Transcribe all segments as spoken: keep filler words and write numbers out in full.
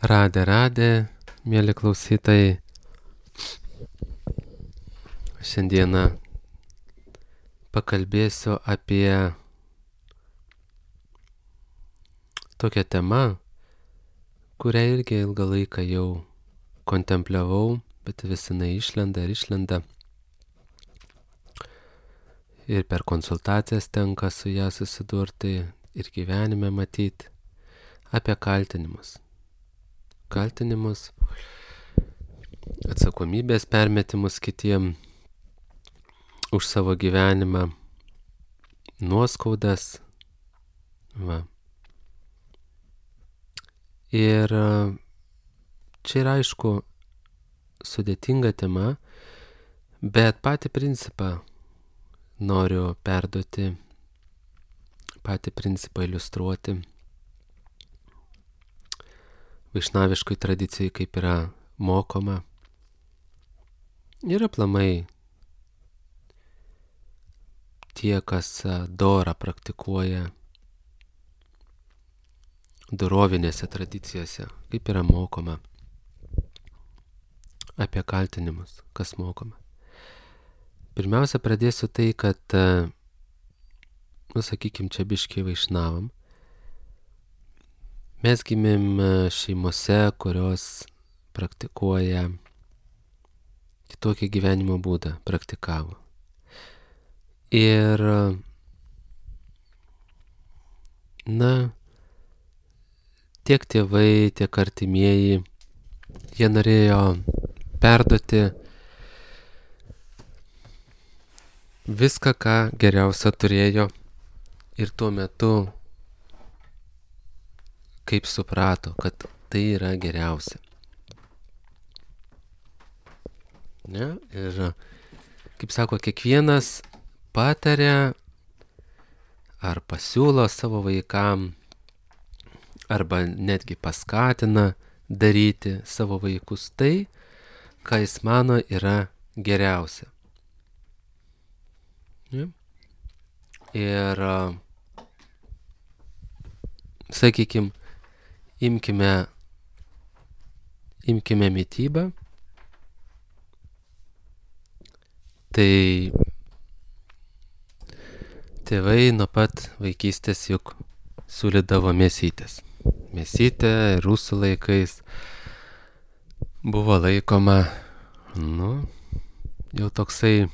Radė, radė, mėly klausytojai. Šiandieną pakalbėsiu apie tokią temą, kurią irgi ilgą laiką jau kontempliavau, bet vis jinai išlenda ir išlenda. Ir per konsultacijas tenka su ją susidurti ir gyvenime matyti apie kaltinimus. Kaltinimus, atsakomybės permetimus kitiem už savo gyvenimą, nuoskaudas. Va. Ir čia yra aišku sudėtinga tema, bet patį principą noriu perduoti, patį principą iliustruoti. Vaišnaviškoj tradicijai kaip yra mokoma. Ir aplamai tie, kas dorą praktikuoja dorovinėse tradicijose, kaip yra mokoma apie kaltinimus, kas mokoma. Pirmiausia, pradėsiu tai, kad, nu, sakykim, čia biškiai vaišnavam. Mes gimėm šeimose, kurios praktikuoja kitokį gyvenimo būdą, praktikavo. Ir, na, tiek tėvai, tiek artimieji, jie norėjo perduoti viską, ką geriausia turėjo ir tuo metu kaip suprato, kad tai yra geriausia. Ne? Ir, kaip sako, kiekvienas pataria ar pasiūlo savo vaikam, arba netgi paskatina daryti savo vaikus tai, ką jis mano yra geriausia. Ne? Ir, sakykim, Imkime, imkime mitybą. Tai tėvai nuo pat vaikystės juk siūlydavo mėsytės. Mėsytė rusų laikais buvo laikoma, nu, jau toksai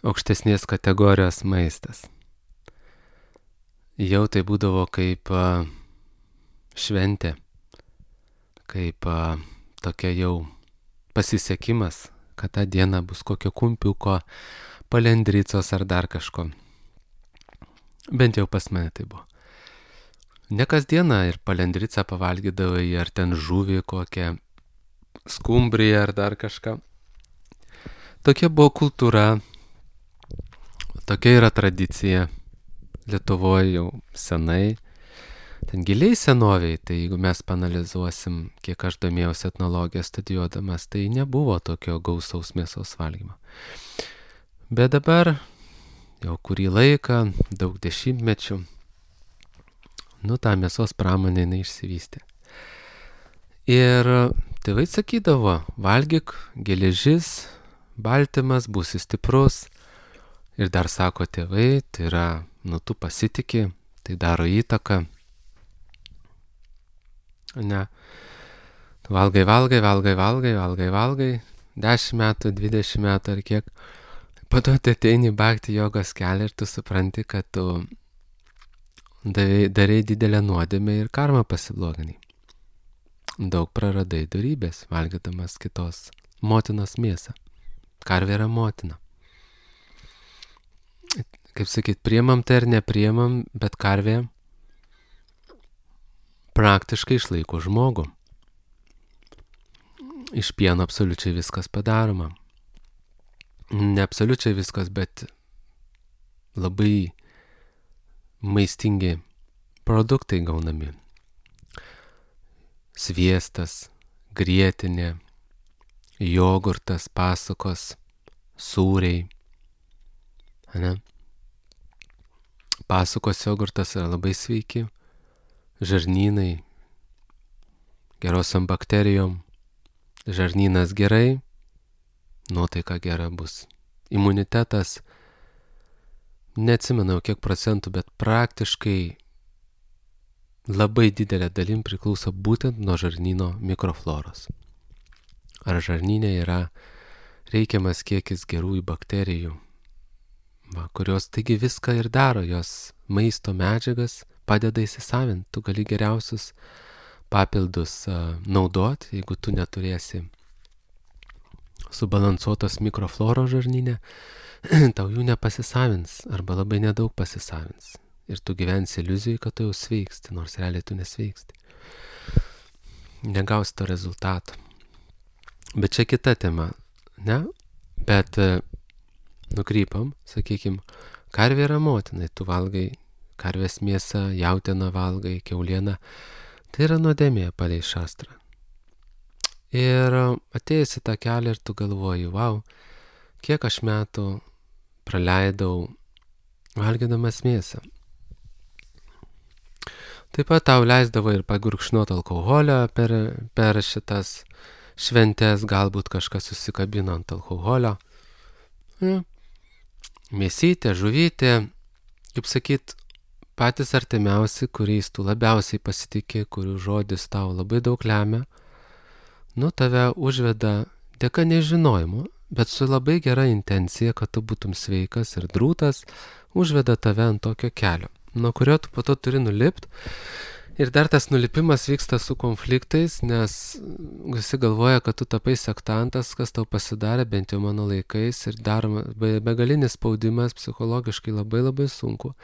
aukštesnės kategorijos maistas. Jau tai būdavo kaip šventė, kaip a, tokia jau pasisekimas, kad tą dieną bus kokio kumpiuko, palendricos ar dar kažko. Bent jau pas mane tai buvo. Ne kasdieną ir palendricą pavalgydavai, ar ten žuvį kokią, skumbriją ar dar kažką. Tokia buvo kultūra, tokia yra tradicija Lietuvoje jau senai. Ten giliai senoviai, tai jeigu mes panalizuosim, kiek aš domėjausi etnologiją studijuodamas, tai nebuvo tokio gausaus mėsos valgymo. Bet dabar, jau kurį laiką, daug dešimtmečių, nu, tą mėsos pramonę neišsivystė. Ir tėvai sakydavo, valgyk, geležis, baltymas, būsi stiprus. Ir dar sako tėvai, tai yra, nu, tu pasitiki, tai daro įtaką. Ne. Valgai, valgai, valgai, valgai, valgai, valgai, dešimt metų, dvidešimt metų ar kiek. Po to tu ateini bhakti jogos kelią ir tu supranti, kad tu darai, darai didelę nuodėmę ir karmą pasibloginai. Daug praradai dorybės, valgydamas kitos motinos mėsą. Karvė yra motina. Kaip sakyt, priemam tai ar nepriemam, bet karvė praktiškai išlaiko žmogų. Iš pieno absoliučiai viskas padaroma. Ne absoliučiai viskas, bet labai maistingi produktai gaunami. Sviestas, grietinė, jogurtas, pasukos, sūriai. Ne? Pasukos jogurtas yra labai sveiki. Žarnynai gerosiom bakterijom, žarnynas gerai, nuotaika gera bus. Imunitetas, neatsimenu kiek procentų, bet praktiškai labai didelė dalim priklauso būtent nuo žarnyno mikrofloros. Ar žarnyne yra reikiamas kiekis gerųjų bakterijų, va, kurios taigi viską ir daro, jos maisto medžiagas padeda įsisavinti. Tu gali geriausius papildus uh, naudoti, jeigu tu neturėsi subalansuotos mikrofloros žarnyne, tau jų nepasisavins arba labai nedaug pasisavins. Ir tu gyvensi iliuzijai, kad tu jau sveiksti, nors realiai tu nesveiksti. Negausi to rezultato. Bet čia kita tema, ne? Bet nukrypam, sakykim, karvė yra motinai, tu valgai karvės mėsą, jautieną valgai, kiaulieną. Tai yra nuodėmė palei šastrą. Ir atėjus į tą kelią ir tu galvoji, wow, kiek aš metų praleidau valgydamas mėsą. Taip pat tau leisdavo ir pagurkšnot alkoholio per, per šitas šventės, galbūt kažkas susikabino ant alkoholio. Ja. Mėsytė, žuvytė, kaip sakyt, patys artimiausi, kuriais tu labiausiai pasitikė, kurių žodis tau labai daug lemia, nu tave užveda dėka nežinojimo, bet su labai gera intencija, kad tu būtum sveikas ir drūtas, užveda tave ant tokio kelio, nuo kurio tu po to turi nulipti. Ir dar tas nulipimas vyksta su konfliktais, nes visi galvoja, kad tu tapai sektantas, kas tau pasidarė, bent jau mano laikais, ir daroma begalinis spaudimas, psichologiškai labai labai sunku.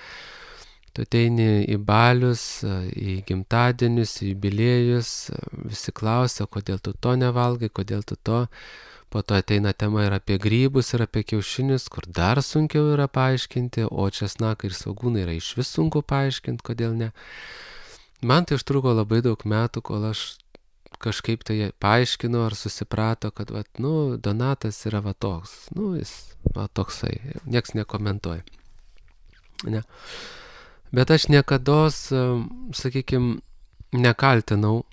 Tu ateini į balius, į gimtadienius, į jubiliejus, visi klausia, kodėl tu to nevalgai, kodėl tu to. Po to ateina tema ir apie grybus, ir apie kiaušinius, kur dar sunkiau yra paaiškinti, o česnakai ir svogūnai yra iš vis sunku paaiškinti, kodėl ne. Man tai užtruko labai daug metų, kol aš kažkaip tai paaiškinu ar susiprato, kad, vat, nu, Donatas yra va toks, nu, jis va toksai, nieks nekomentuoja. Ne. Bet aš niekados, sakykime, nekaltinau,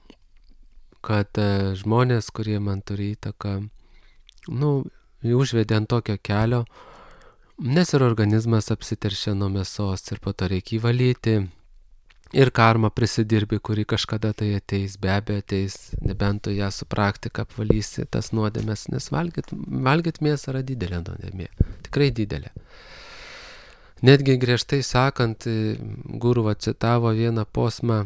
kad žmonės, kurie man turi įtaką, nu, užvedė ant tokio kelio, nes ir organizmas apsiteršia nuo mėsos ir po to reikia įvalyti. Ir karma prisidirbi, kuri kažkada tai ateis, be abejo ateis, nebent tu ją su praktika apvalysi tas nuodėmes, nes valgyt, valgyt mėsą yra didelė nuodėmė, tikrai didelė. Netgi griežtai sakant, Guruva citavo vieną posmą,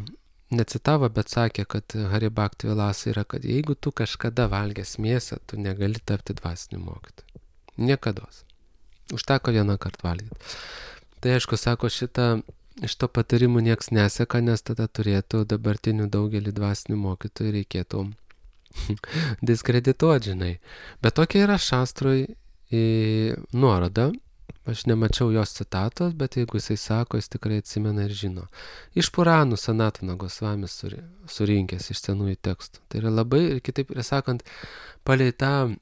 necitavo, bet sakė, kad Haribhakti Vilasa yra, kad jeigu tu kažkada valgęs mėsą, tu negali tapti dvasiniu mokytoju. Niekados. Užteko vieną kartą valgyti. Tai aišku, sako, šitą iš to patarimų nieks neseka, nes tada turėtų dabartinių daugelį dvasinių mokytojų reikėtų diskredituoti, žinai. Bet tokia yra šastrui nuoroda. Aš nemačiau jos citatos, bet jeigu jisai sako, jis tikrai atsimena ir žino. Iš Puranų Sanatana Gosvamis surinkęs iš senųjų tekstų. Tai yra labai, ir kitaip ir sakant, palei tą,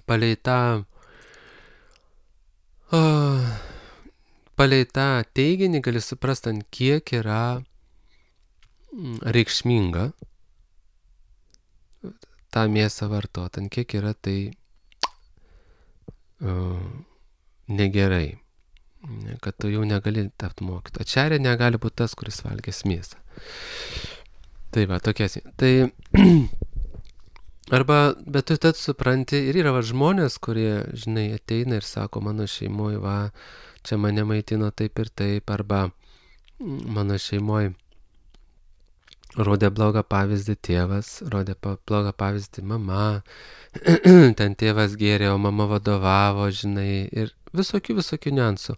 palei tą, oh, palei tą teiginį gali suprasti, ant kiek yra reikšminga tą mėsą vartoti, ant kiek yra tai uh, negerai, kad tu jau negali tapti mokytoju. Ačarė negali būti tas, kuris valgęs mėsą. Tai va, tokia. Tai arba, bet tu tad supranti, ir yra va, žmonės, kurie, žinai, ateina ir sako, mano šeimoje, va, čia mane maitino taip ir taip, arba mano šeimoje rodė blogą pavyzdį tėvas, rodė blogą pavyzdį mama, ten tėvas gėrė, o mama vadovavo, žinai, ir visokių, visokių niuansų.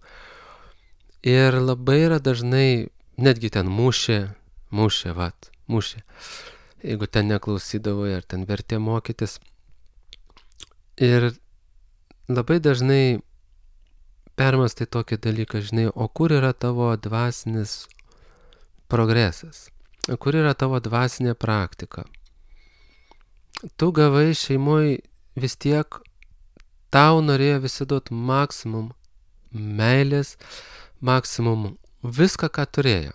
Ir labai yra dažnai, netgi ten mušė, mušė, vat, mušė, jeigu ten neklausydavo, ar ten vertė mokytis. Ir labai dažnai permastai tokį dalyką, žinai, o kur yra tavo dvasinis progresas? Kur yra tavo dvasinė praktika? Tu gavai šeimoje vis tiek, tau norėjo visi duoti maksimum meilės, maksimum viską, ką turėjo.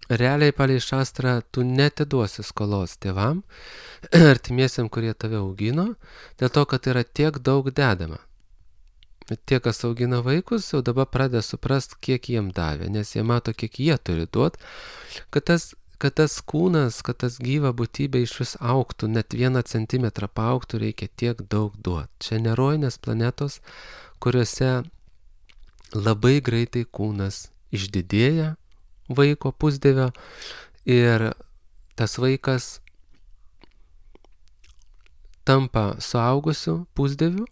realiai palei šastrą tu netiduosi skolos tėvam, artimiesiam, kurie tave augino, dėl to, kad yra tiek daug dedama. Tie, kas augina vaikus, jau dabar pradeda suprast, kiek jiem davė, nes jie mato, kiek jie turi duot, kad tas, kad tas kūnas, kad tas gyva būtybė iš vis augtų, net vieną centimetrą paaugtų, reikia tiek daug duot. Čia nerojinės planetos, kuriuose labai greitai kūnas išdidėja vaiko pusdėvio ir tas vaikas tampa suaugusiu pusdėviu,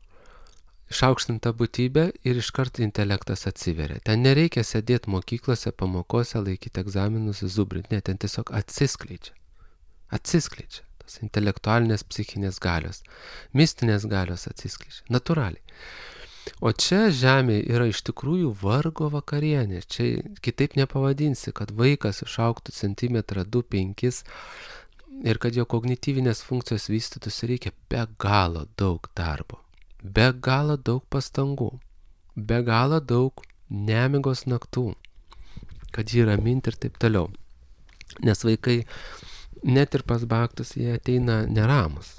išaukštinta būtybė ir iškart intelektas atsiveria. Ten nereikia sėdėti mokyklose, pamokose, laikyti egzaminus, zubrinti, ne, ten tiesiog atsiskleidžia. Atsiskleidžia. Tos intelektualinės psichinės galios, mistinės galios atsiskleidžia. Natūraliai. O čia žemė yra iš tikrųjų vargo vakarienė. Čia kitaip nepavadinsi, kad vaikas išauktų centimetrą, du, penkis ir kad jo kognityvinės funkcijos vystytųsi, reikia be galo daug darbo. Be galo daug pastangų, be galo daug nemigos naktų, kad jį raminti ir taip toliau. Nes vaikai, net ir pas baktus, jie ateina neramus.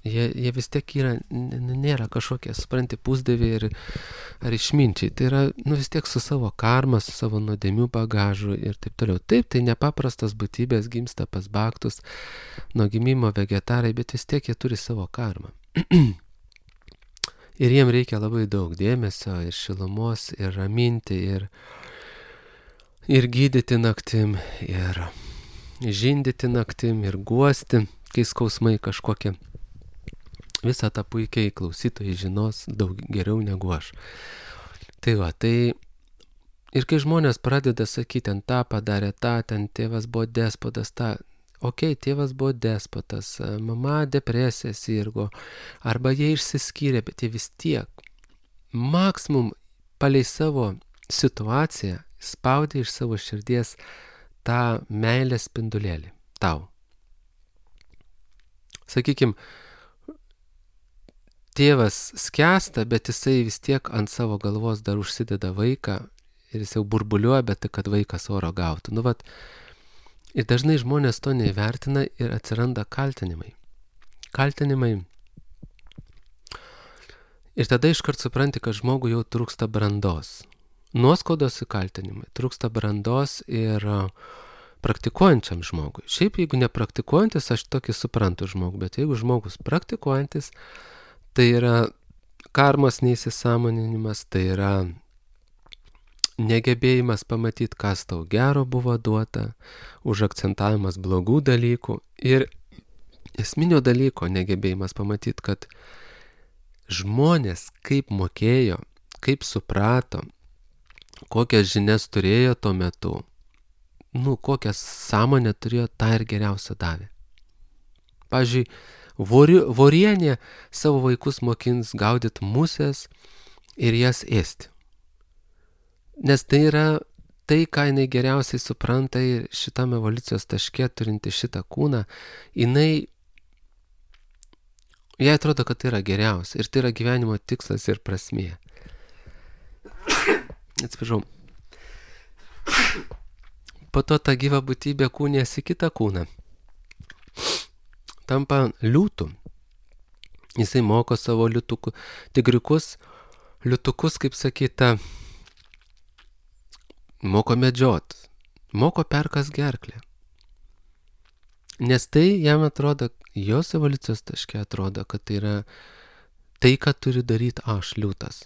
Jie, jie vis tiek yra, nėra kažkokie, supranti, pusdėviai ir, ar išminčiai. Tai yra, nu, vis tiek su savo karma, su savo nuodėmių bagažu ir taip toliau. Taip, tai nepaprastas būtybės gimsta pas baktus, nuo gimimo vegetarai, bet vis tiek jie turi savo karmą. Ir jiem reikia labai daug dėmesio ir šilumos, ir raminti, ir, ir gydyti naktim, ir žindyti naktim, ir guosti, kai skausmai kažkokie. Visą tą puikiai klausytojai žinos daug geriau negu aš. Tai va, tai ir kai žmonės pradeda sakyti, ten tą padarė tą, ten tėvas buvo despotas, tą, okei, okay, tėvas buvo despotas, mama depresija sirgo, arba jie išsiskyrė, bet jie vis tiek maksimum palei savo situaciją spaudė iš savo širdies tą meilės spindulėlį tau. Sakykime, tėvas skęsta, bet jisai vis tiek ant savo galvos dar užsideda vaiką ir jis jau burbuliuoja, bet kad vaikas oro gautų. Nu, vat, ir dažnai žmonės to neįvertina ir atsiranda kaltinimai. Kaltinimai. Ir tada iškart supranti, kad žmogui jau trūksta brandos. Nuoskaudos į kaltinimai. Trūksta brandos ir praktikuojančiam žmogui. Šiaip jeigu nepraktikuojantis, aš tokį suprantu žmogų, bet jeigu žmogus praktikuojantis, tai yra karmos neįsisąmoninimas, tai yra negebėjimas pamatyti, kas tau gero buvo duota, užakcentavimas blogų dalykų ir esminio dalyko negebėjimas pamatyti, kad žmonės kaip mokėjo, kaip suprato, kokias žinias turėjo tuo metu, nu, kokią sąmonę turėjo, tą ir geriausia davė. Pavyzdžiui, vori, vorienė savo vaikus mokins gaudyti musės ir jas ėsti. Nes tai yra tai, ką jinai geriausiai supranta ir šitam evoliucijos taške turinti šitą kūną, jinai, jai atrodo, kad tai yra geriausia ir tai yra gyvenimo tikslas ir prasmė. Atsiprašau. Po to ta gyva būtybė kūnėsi kitą kūną. Tampa liūtų. Jisai moko savo liūtukų, tigriukus, liūtukus, kaip sakyta, moko medžiot, moko perkas gerklę. Nes tai jam atrodo, jos evoliucijos taške atrodo, kad tai yra tai, ką turi daryti aš liūtas,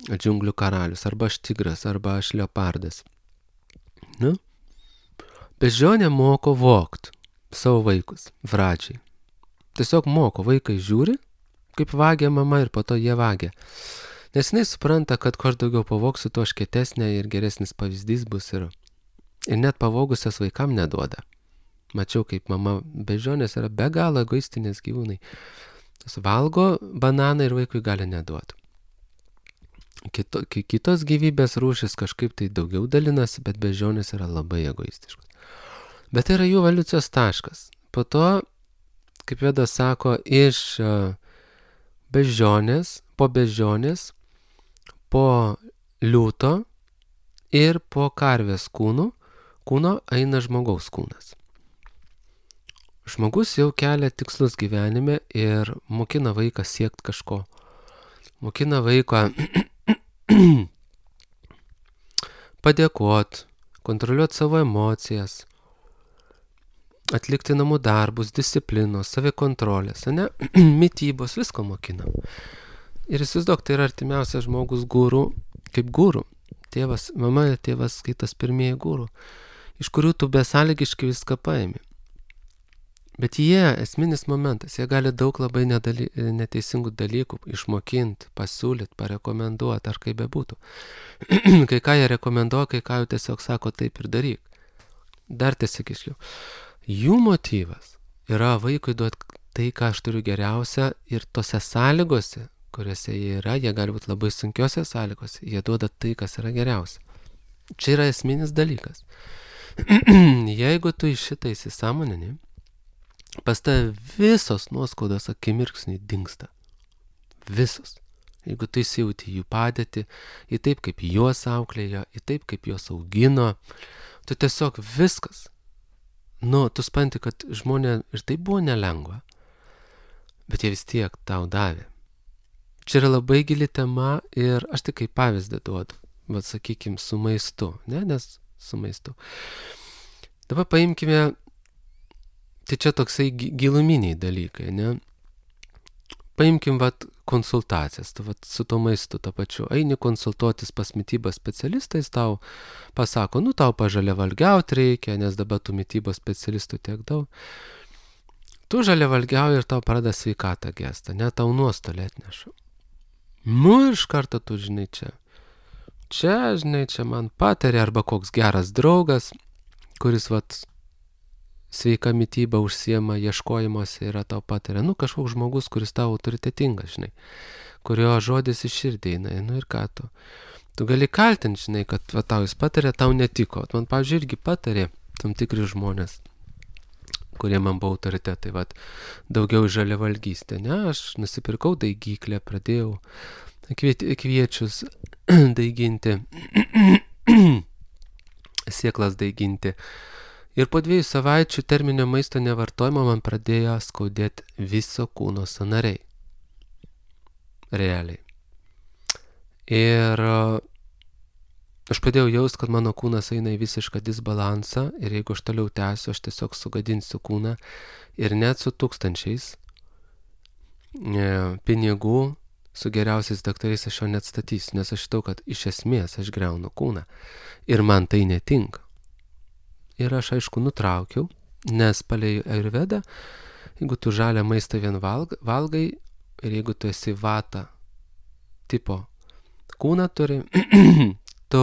džiunglių karalius, arba aš tigras, arba aš leopardas. Nu? Beždžionė moko vogt savo vaikus, vračiai. Tiesiog moko, vaikai žiūri, kaip vagia mama ir po to jie vagia. Nes jinai supranta, kad kuo aš daugiau pavoksiu, tuo aš kietesnė ir geresnis pavyzdys bus ir, ir net pavogusios vaikam neduoda. Mačiau, kaip mama beždžionės yra be galo egoistinės gyvūnai. Tas valgo bananą ir vaikui gali neduoti. Kito, kitos gyvybės rūšis kažkaip tai daugiau dalinasi, bet beždžionės yra labai egoistiškos. Bet tai yra jų evoliucijos taškas. Po to, kaip Vedas sako, iš beždžionės, po beždžionės, po liūto ir po karvės kūnų, kūno eina žmogaus kūnas. Žmogus jau kelia tikslus gyvenime ir mokina vaiką siekti kažko. Mokina vaiką padėkoti, kontroliuoti savo emocijas, atlikti namų darbus, disciplinos, savikontrolės, ne? Mitybos, visko mokina. Ir įsivaizduok, tai yra artimiausias žmogus guru, kaip guru. Tėvas, mama ir tėvas skaitas pirmieji guru, iš kurių tu besąlygiškai viską paimi. Bet jie, esminis momentas, jie gali daug labai nedaly, neteisingų dalykų išmokinti, pasiūlyti, parekomenduoti, ar kaip bebūtų. Kai ką jie rekomenduoja, kai ką jau tiesiog sako taip ir daryk. Dar tiesiog išliau. Jų motyvas yra vaikui duoti tai, ką aš turiu geriausia ir tose sąlygose, kuriuose jie yra, jie gali būti labai sunkiose sąlygose, jie duoda tai, kas yra geriausia. Čia yra esminis dalykas. Jeigu tu iš šitą įsisąmonini, pas tave visos nuoskaudos akimirksniai dingsta. Visos. Jeigu tu įsijauti jų padėtį, į taip, kaip juos auklėjo, į taip, kaip juos augino, tu tiesiog viskas. Nu, tu spanti, kad žmonė ir tai buvo nelengva, bet jie vis tiek tau davė. Čia yra labai gili tema ir aš tik kaip pavyzdį duodu, bet sakykim, su maistu, ne, nes su maistu. Dabar paimkime, tai čia toksai giluminiai dalykai, ne? Paimkim, vat, konsultacijas, tu, vat, su to maistu to pačiu. Eini konsultuotis pas mitybos specialistais, tau pasako, nu, tau pažalia valgiauti reikia, nes dabar tų mitybos specialistų tiek daug. Tu žalia valgiauji ir tau pradeda sveikatą gestą, ne, tau nuostolį atneša. Nu, iš karto tu, žinai, čia. Čia, žinai, čia man patarė, arba koks geras draugas, kuris, vat, sveika mityba užsiema ieškojimuose yra tau patarė. Nu, kažkoks žmogus, kuris tau autoritetingas, žinai, kurio žodis iš širdį eina, nu ir ką tu. Tu gali kaltinti, žinai, kad va, tau jis patarė, tau netiko. Man, pavyzdžiui, irgi patarė tam tikri žmonės, kurie man buvo autoritetai, va, daugiau žaliavalgystė. Ne, aš nusipirkau daigyklę, pradėjau kviečius daiginti, sieklas daiginti. Ir po dviejų savaičių terminio maisto nevartojimo man pradėjo skaudėti viso kūno sąnariai. Realiai. Ir aš pradėjau jaust, kad mano kūnas eina į visišką disbalansą ir jeigu aš toliau tęsiu, aš tiesiog sugadinsiu kūną ir net su tūkstančiais pinigų, su geriausiais daktarais aš jo neatstatysiu, nes aš žinau, kad iš esmės aš griaunu kūną ir man tai netinka. Ir aš, aišku, nutraukiau, nes palei Ayurvedą, jeigu tu žalią maistą vien valg, valgai ir jeigu tu esi vata tipo kūną turi, tu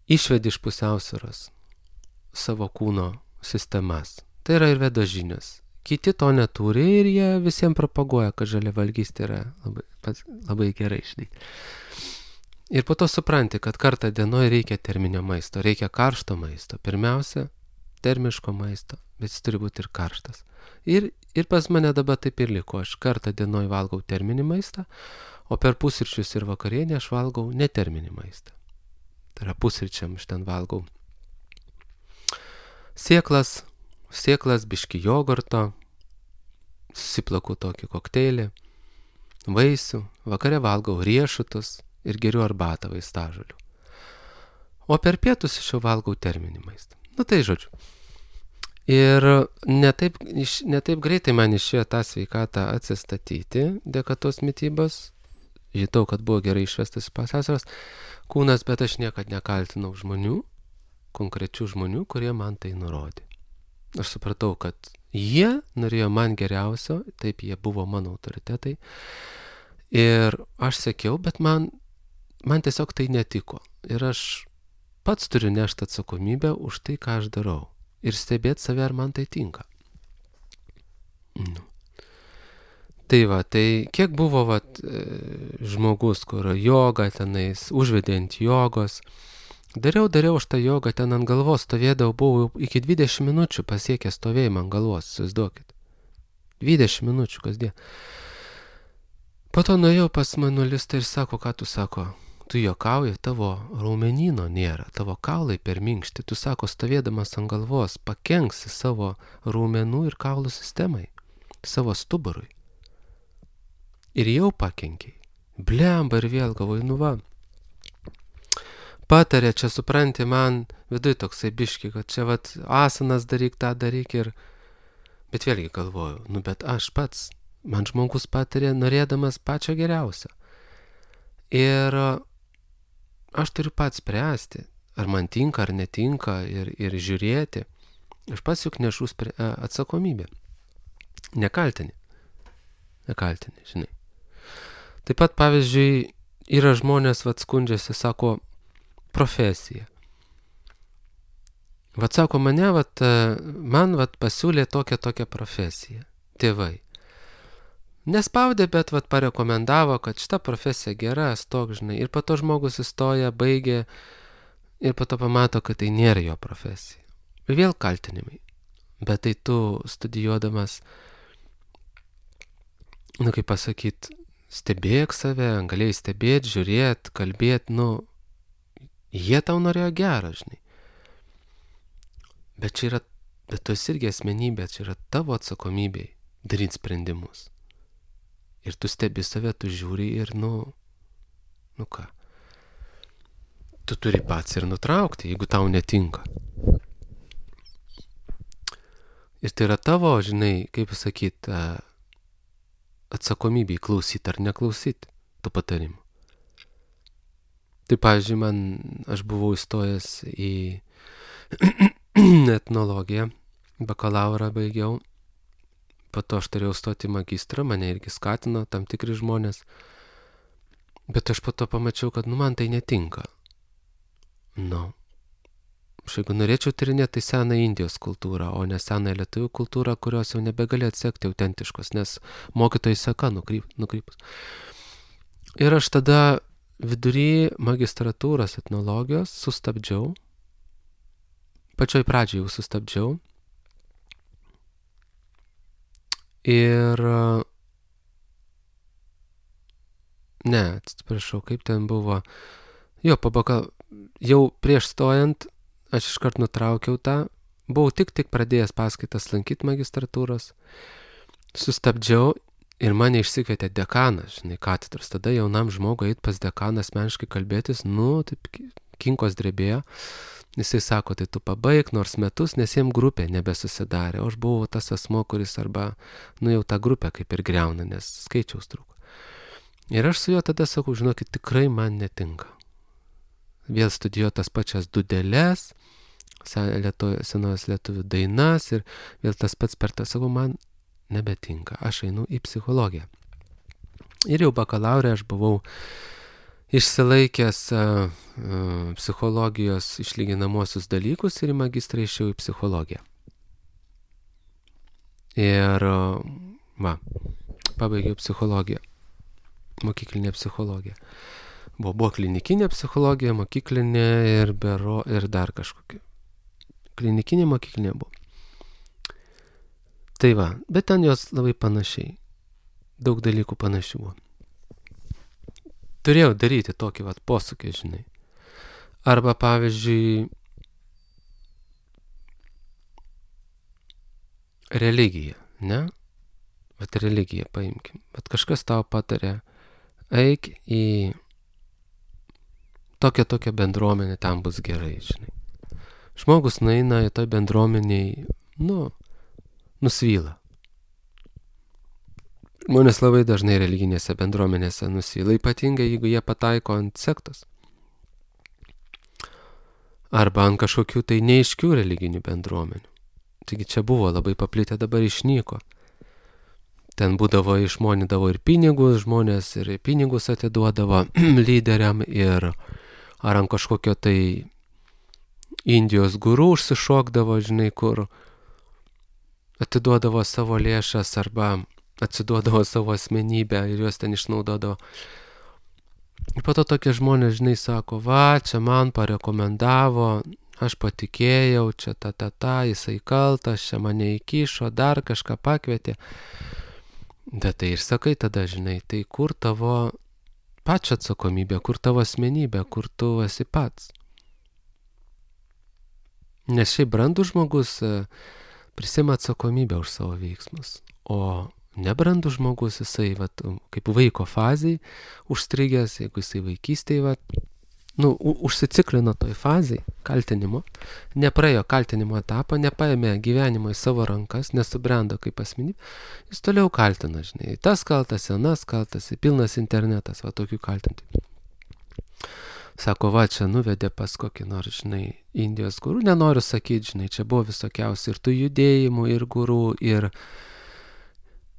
išvedi iš pusiausvyros savo kūno sistemas. Tai yra Ayurvedos žinios. Kiti to neturi ir jie visiems propaguoja, kad žaliavalgystė yra labai, labai gerai, žinai. Ir po to supranti, kad kartą dienoje reikia terminio maisto, reikia karšto maisto. Pirmiausia, termiško maisto, bet jis turi būti ir karštas. Ir, ir pas mane dabar taip ir liko. Aš kartą dienoje valgau terminį maistą, o per pusryčius ir vakarienę aš valgau neterminį maistą. Tai yra pusryčiam aš ten valgau sėklas, sėklas, biški jogurto, susiplaku tokį kokteilį, vaisių, vakare valgau riešutus ir geriu arbatą vaistažolių. O per pietus aš jau valgau terminį maistą. Nu tai žodžiu. Ir netaip, netaip greitai man išėjo tą sveikatą atsistatyti dėka tos mitybos. Žinau, kad buvo gerai išvestas pusiausvyros kūnas, bet aš niekad nekaltinau žmonių, konkrečių žmonių, kurie man tai nurodė. Aš supratau, kad jie norėjo man geriausio, taip jie buvo mano autoritetai. Ir aš sekiau, bet man Man tiesiog tai netiko. Ir aš pats turiu nešti atsakomybę už tai, ką aš darau. Ir stebėti save, ar man tai tinka. Nu. Tai va, tai kiek buvo va, žmogus, kur joga tenais, užvedė ant jogos. Dariau, dariau aš tą jogą, ten ant galvos stovėdavau, buvau iki dvidešimt minučių pasiekę stovėjimą ant galvos, įsivaizduokit. dvidešimt minučių kasdien. Po to nuėjau pas manualistą ir sako, ką tu sako, tu juokauji, tavo raumenyno nėra, tavo kaulai per minkšti, tu sako, stovėdamas ant galvos, pakenksi savo raumenų ir kaulų sistemai, savo stuburui. Ir jau pakenkiai. Blemba ir vėl galvoju, nu va. Patarė, čia supranti, man viduj toksai biški, kad čia vat asanas daryk, tą daryk ir... Bet vėlgi galvoju, nu bet aš pats, man žmogus patarė, norėdamas pačio geriausio. Ir aš turiu pats spręsti, ar man tinka, ar netinka, ir, ir žiūrėti. Aš pats juk nešu atsakomybę. Nekaltini. Nekaltini, žinai. Taip pat, pavyzdžiui, yra žmonės, vat skundžiasi, sako, profesija. Vat sako, mane, vat, man vat pasiūlė tokią tokią profesiją. Tėvai. Nespaudė, bet vat parekomendavo, kad šita profesija gera, stok, žinai. Ir po to žmogus įstoja, baigė ir po to pamato, kad tai nėra jo profesija. Ir vėl kaltinimai. Bet tai tu studijuodamas, nu kaip pasakyt, stebėk save, galėjai stebėti, žiūrėti, kalbėti, nu, jie tau norėjo gerą, žinai. Bet čia yra, bet tu esi irgi asmenybė, čia yra tavo atsakomybė daryti sprendimus. Ir tu stebi save, tu žiūri ir, nu, nu ką. Tu turi pats ir nutraukti, jeigu tau netinka. Ir tai yra tavo, žinai, kaip sakyt, atsakomybė klausyti ar neklausyti tų patarimų. Tai, pavyzdžiui, man, aš buvau įstojęs į etnologiją, bakalaurą baigiau, po to aš turėjau stoti magistrą, mane irgi skatino tam tikri žmonės, bet aš po to pamačiau, kad nu man tai netinka. Nu, aš jeigu norėčiau tyrinėti, tai seną Indijos kultūrą, o ne seną lietuvių kultūrą, kurios jau nebegali atsekti autentiškos, nes mokytojai seka nukryp, nukrypus. Ir aš tada vidury magistratūros etnologijos sustabdžiau, pačioj pradžioj jau sustabdžiau. Ir... Ne, atsiprašau, kaip ten buvo. Jo, pabaka, jau prieš stojant, aš iškart nutraukiau tą. Buvau tik tik pradėjęs paskaitas lankyti magistratūros. Sustabdžiau ir mane išsikvietė dekanas, žinai, katedros. Tada jaunam žmogui eit pas dekaną asmeniškai kalbėtis, nu, taip kinkos drebėjo. Jisai sako, tai tu pabaig nors metus, nes jiem grupė nebesusidarė. O aš buvau tas asmo, kuris arba, nu jau tą grupę kaip ir griauna, nes skaičiaus trūko. Ir aš su juo tada sakau, žinokit, tikrai man netinka. Vėl studijuoju tas pačias dūdeles, senovės lietuvių dainas ir vėl tas pats per tą, sakau, man nebetinka. Aš einu į psichologiją. Ir jau bakalaurė aš buvau išsilaikęs uh, uh, psichologijos išlyginamosius dalykus ir į magistrą išėjau į psichologiją. Ir, uh, va, pabaigiau psichologiją, mokyklinė psichologija. Buvo, buvo klinikinė psichologija, mokyklinė ir, bero, ir dar kažkokia. Klinikinė mokyklinė buvo. Tai va, bet ten jos labai panašiai. Daug dalykų panašių buvo. Turėjau daryti tokį vat posūkį, žinai. Arba, pavyzdžiui, religija, ne? Vat religiją paimkim. Bet kažkas tau patarė, eik į tokią tokią bendruomenę, tam bus gerai, žinai. Žmogus nueina į toj bendruomeniai, nu, nusvyla. Žmonės labai dažnai religinėse bendruomenėse nusvyla, ypatingai jeigu jie pataiko ant sektos. Arba ant kažkokių tai neaiškių religinių bendruomenių. Taigi čia buvo labai paplitę, dabar išnyko. Ten būdavo, išmonydavo ir pinigus, žmonės ir pinigus atiduodavo lyderiam ir ar ant kažkokio tai Indijos guru užsišokdavo, žinai, kur atiduodavo savo lėšas arba atsiduodavo savo asmenybę ir juos ten išnaudodavo. Ir po to tokie žmonės, žinai, sako, va, čia man parekomendavo, aš patikėjau, čia ta, ta, ta, jisai kaltas, čia mane įkišo, dar kažką pakvietė. Bet tai ir sakai tada, žinai, tai kur tavo pačio atsakomybė, kur tavo asmenybė, kur tu esi pats. Nes šiaip brandus žmogus prisima atsakomybę už savo veiksmus, o nebrandus žmogus, jisai vat, kaip vaiko fazėj užstrigęs, jeigu jisai vaikystėje vat, nu, užsiciklino toj fazėj kaltinimo, nepraėjo kaltinimo etapą, nepaėmė gyvenimo į savo rankas, nesubrendo kaip asmenybė, jis toliau kaltina, žinai, tas kaltas, anas kaltas, pilnas internetas, va tokių kaltintojų. Sako, va, čia nuvedė pas kokį nors, žinai, Indijos gurų, nenoriu sakyti, žinai, čia buvo visokiausių ir tų judėjimų, ir gurų, ir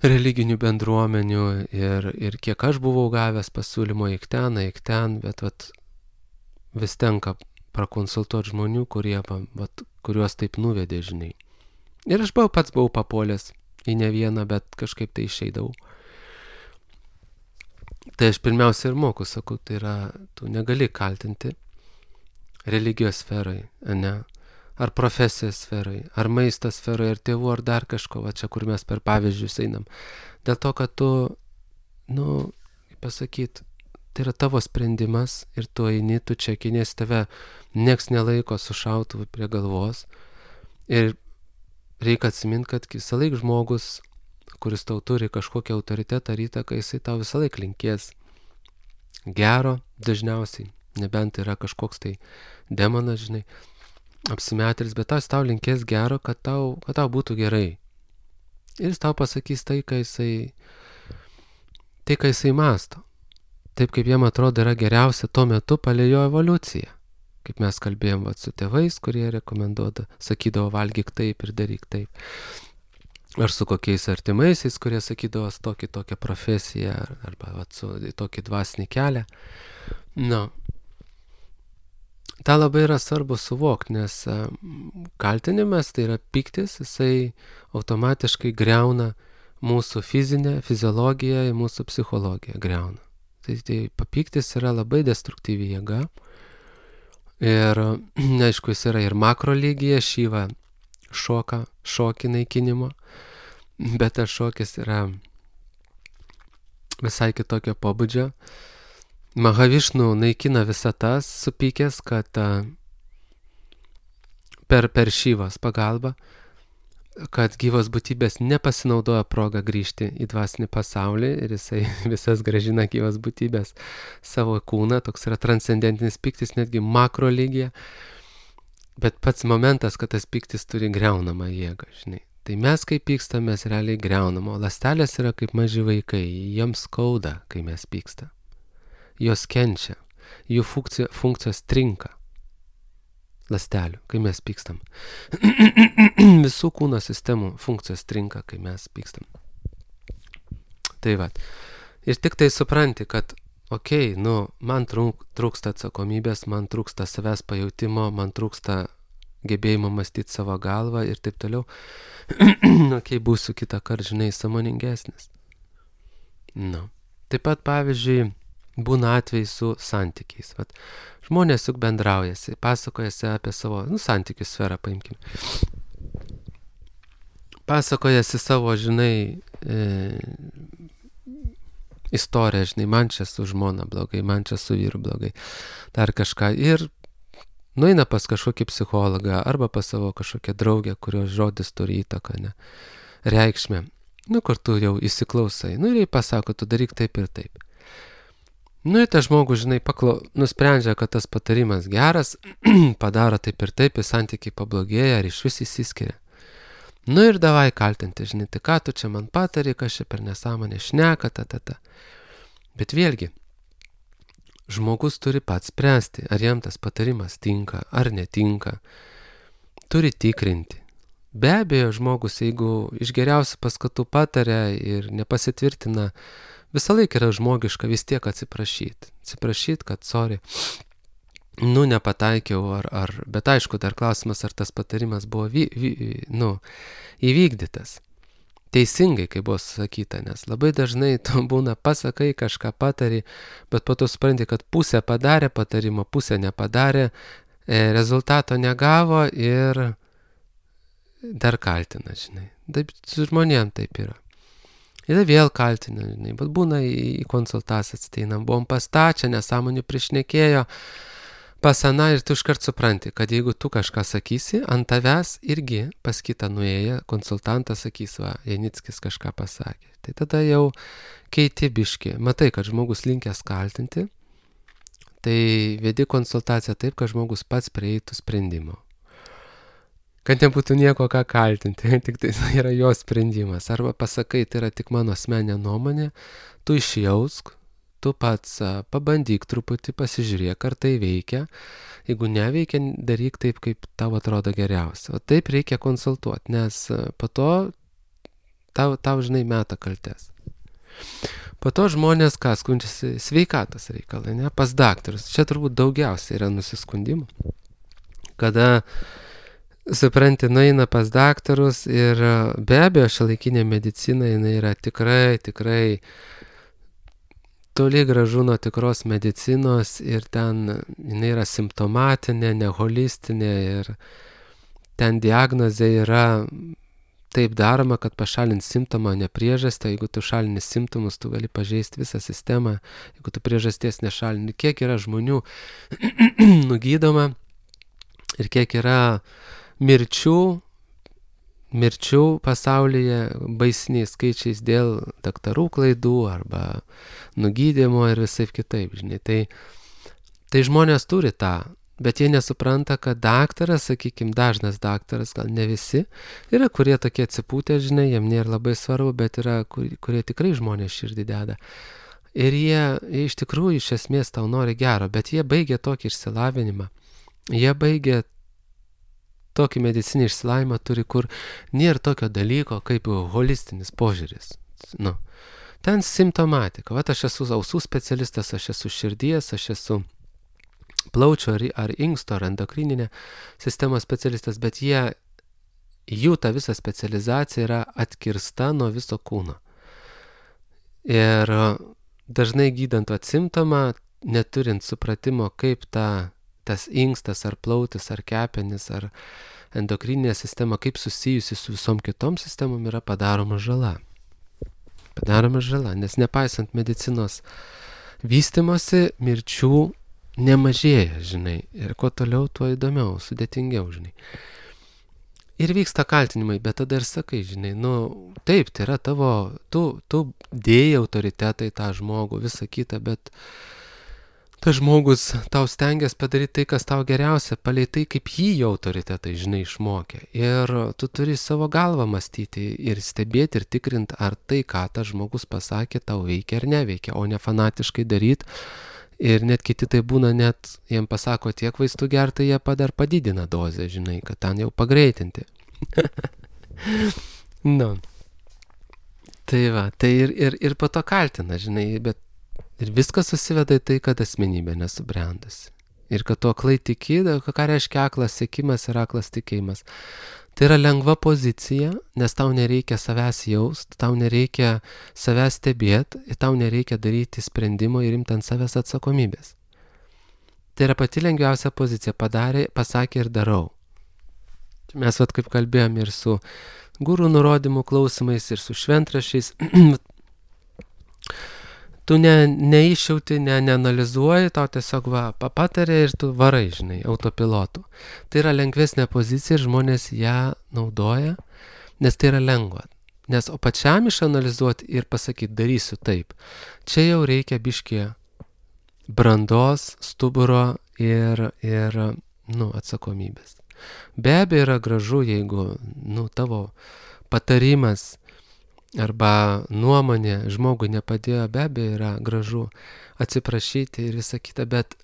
religinių bendruomenių, ir, ir kiek aš buvau gavęs pasiūlymo eik ten, eik ten, bet vat, vis tenka prakonsultuoti žmonių, kurie, vat, kuriuos taip nuvedė, žinai. Ir aš buvau, pats buvau papuolęs į ne vieną, bet kažkaip tai išeidavau. Tai aš pirmiausia ir moku, sakau, tai yra, tu negali kaltinti religijos sferai, ne, ar profesijos sferai, ar maisto sferai, ar tėvų, ar dar kažko, va čia, kur mes per pavyzdžius einam. Dėl to, kad tu, nu, kaip pasakyti, tai yra tavo sprendimas ir tu eini, tu čia kinės tave, nieks nelaiko su šautuvu prie galvos. Ir reikia atsiminti, kad visą laik žmogus, kuris tau turi kažkokią autoritetą ar įtaką, jisai tau visą laik linkės gero dažniausiai, nebent yra kažkoks tai demonas, žinai, apsimetėlis, bet tas tau linkės gero, kad tau, kad tau būtų gerai. Ir jis tau pasakys tai, ką jisai, tai, ką jisai masto. Taip, kaip jam atrodo yra geriausia tuo metu palei jo evoliuciją. Kaip mes kalbėjom vat, su tėvais, kurie rekomenduoda, sakydavo valgyk taip ir daryk taip. Ar su kokiais artimaisiais, kurie sakydavo tokį tokią profesiją, arba vat, su tokį dvasinį kelią. Nu, tą labai yra svarbu suvokti, nes kaltinimas, tai yra pyktis, jisai automatiškai greuna mūsų fizinę, fiziologiją ir mūsų psichologiją greuna. Tai, tai papyktis yra labai destruktyvi jėga. Ir, aišku, jis yra ir makro lygyje, šyva šoka, šokį naikinimo, bet tas šokis yra visai kitokio pobūdžio. Mahavišnu naikina visatas supykęs, kad per, per šyvos pagalbą, kad gyvos būtybės nepasinaudoja progą grįžti į dvasinį pasaulį ir jisai visas grąžina gyvos būtybės savo kūną, toks yra transcendentinis pyktis netgi makro lygyje, bet pats momentas, kad tas pyktis turi greunamą jėgą, žinai. Tai mes, kai pykstam, mes realiai greunam, o ląstelės yra kaip maži vaikai, jiems skauda, kai mes pykstam. Jos kenčia, jų funkcija, funkcijos trinka. Ląstelių, kai mes pykstam. Visų kūno sistemų funkcijos trinka, kai mes pykstam. Tai va. Ir tik tai supranti, kad, okei, okay, nu, man trūk, trūksta atsakomybės, man trūksta savęs pajautimo, man trūksta gebėjimo mąstyti savo galvą ir taip toliau. Okei, okay, būsiu kitą kartą, žinai, sąmoningesnis. Nu. Taip pat, pavyzdžiui, būna atvejai su santykiais. Vat, žmonės juk bendraujasi, pasakojasi apie savo, nu, santykių sferą, paimkime. Pasakojasi savo, žinai, e, istoriją, žinai, man čia su žmona blogai, man čia su vyru blogai, dar kažką. Ir nueina pas kažkokį psichologą arba pas savo kažkokią draugę, kurios žodis turi įtaką, ne, reikšmę. Nu, kur tu jau įsiklausai. Nu, ir jai pasako, tu daryk taip ir taip. Nu, ir tas žmogus, žinai, paklau, nusprendžia, kad tas patarimas geras, padaro taip ir taip, ir santykiai pablogėja, ar iš vis įsiskiria. Nu, ir davai kaltinti, žinai, tai ką tu čia man patari, kas čia per nesąmonę šneka, ta, ta, ta. Bet vėlgi, žmogus turi pats spręsti, ar jam tas patarimas tinka, ar netinka. Turi tikrinti. Be abejo, žmogus, jeigu iš geriausių paskatų pataria ir nepasitvirtina, visą laiką yra žmogiška vis tiek atsiprašyti. Atsiprašyti, kad sorry, nu, nepataikiau, ar, ar, bet aišku, dar klausimas, ar tas patarimas buvo vy, vy, nu, įvykdytas. Teisingai, kaip buvo sakyta, nes labai dažnai tu būna pasakai, kažką patari, bet po to supranti, kad pusę padarė patarimo, pusę nepadarė, rezultato negavo ir dar kaltina, žinai. Taip su žmonėm taip yra. Ir vėl kaltina, žinai, bet būna į, į konsultacijas ateinam, buvom pastačią, nesąmonių prišnekėjo, pasana ir tu iškart supranti, kad jeigu tu kažką sakysi, ant tavęs irgi pas kitą nuėję konsultantas sakys, va, Janickis kažką pasakė. Tai tada jau keiti biški, matai, kad žmogus linkęs kaltinti, tai vedi konsultaciją taip, kad žmogus pats prieitų sprendimo. Kad nebūtų nieko ką kaltinti, tik tai yra jo sprendimas. Arba pasakai, tai yra tik mano asmeninė nuomonė, tu išjausk, tu pats pabandyk truputį, pasižiūrėk, ar tai veikia. Jeigu neveikia, daryk taip, kaip tau atrodo geriausia. O taip reikia konsultuoti, nes po to tau, tau žinai, meta kaltes. Po to žmonės, ką skundžiasi, sveikatos reikalai, ne, pas daktarus. Čia turbūt daugiausiai yra nusiskundimų. Kada supranti, nueina pas daktarus ir be abejo šiuolaikinė medicina, jinai yra tikrai, tikrai toli gražu nuo tikros medicinos ir ten jinai yra simptomatinė, ne holistinė ir ten diagnozė yra taip daroma, kad pašalint simptomą, ne priežastį. Jeigu tu šalini simptomus, tu gali pažeisti visą sistemą, jeigu tu priežasties nešalini. Kiek yra žmonių nugydoma ir kiek yra mirčių, mirčių pasaulyje baisiniais skaičiais dėl daktarų klaidų arba nugydymo ir visai kitaip, žinai. Tai, tai žmonės turi tą, bet jie nesupranta, kad daktaras, sakykime, dažnas daktaras, gal ne visi, yra kurie tokie atsipūtę, žinai, jiem nėra labai svarbu, bet yra kurie, kurie tikrai žmonės širdį deda. Ir jie, jie iš tikrųjų iš esmės tau nori gero, bet jie baigia tokį išsilavinimą. Jie baigia tokį medicinį išsilavimą turi, kur nėra tokio dalyko kaip holistinis požiūris. Nu, ten simptomatika. Vat aš esu ausų specialistas, aš esu širdies, aš esu plaučio ar, ar inksto ar endokrininė sistemos specialistas, bet jie, jų ta visa specializacija yra atkirsta nuo viso kūno. Ir dažnai gydant vat simptomą, neturint supratimo, kaip ta tas inkstas ar plautis ar kepenis ar endokrininė sistema, kaip susijusi su visom kitom sistemom, yra padaroma žala. Padaroma žala, nes nepaisant medicinos vystimosi, mirčių nemažėja, žinai. Ir kuo toliau, tuo įdomiau, sudėtingiau, žinai. Ir vyksta kaltinimai, bet tada ir sakai, žinai, nu, taip, tai yra tavo, tu, tu dėjai autoritetą į tą žmogų, visą kitą, bet tas žmogus tau stengiasi padaryti tai, kas tau geriausia, palei tai, kaip jį jo autoritetai, žinai, išmokė. Ir tu turi savo galvą mąstyti ir stebėti ir tikrinti, ar tai, ką tas žmogus pasakė, tau veikia ar neveikia, o ne fanatiškai daryti. Ir net kiti tai būna, net jiem pasako tiek vaistų gerti, jie padar padidina dozę, žinai, kad ten jau pagreitinti. Nu. Tai va, tai ir, ir, ir po to kaltina, žinai, bet ir viskas susiveda į tai, kad asmenybė nesubrendusi. Ir kad tu aklai tiki, ką reiškia aklas siekimas ir aklas tikėjimas. Tai yra lengva pozicija, nes tau nereikia savęs jaust, tau nereikia savęs stebėti, tau nereikia daryti sprendimo ir imti ant savęs atsakomybės. Tai yra pati lengviausia pozicija, padarė, pasakė ir darau. Mes vat kaip kalbėjom ir su gurų nurodymų klausimais, ir su šventrašiais. Tu ne, neišjauti, ne, neanalizuoji, tau tiesiog va, papatarė ir tu varai, žinai, autopilotu. Tai yra lengvesnė pozicija ir žmonės ją naudoja, nes tai yra lengva. Nes o pačiam išanalizuoti ir pasakyti, darysiu taip. Čia jau reikia biškį brandos, stuburo ir, ir nu, atsakomybės. Be abejo yra gražu, jeigu nu, tavo patarimas arba nuomonė žmogui nepadėjo, be abejo yra gražu atsiprašyti ir visą kitą, bet,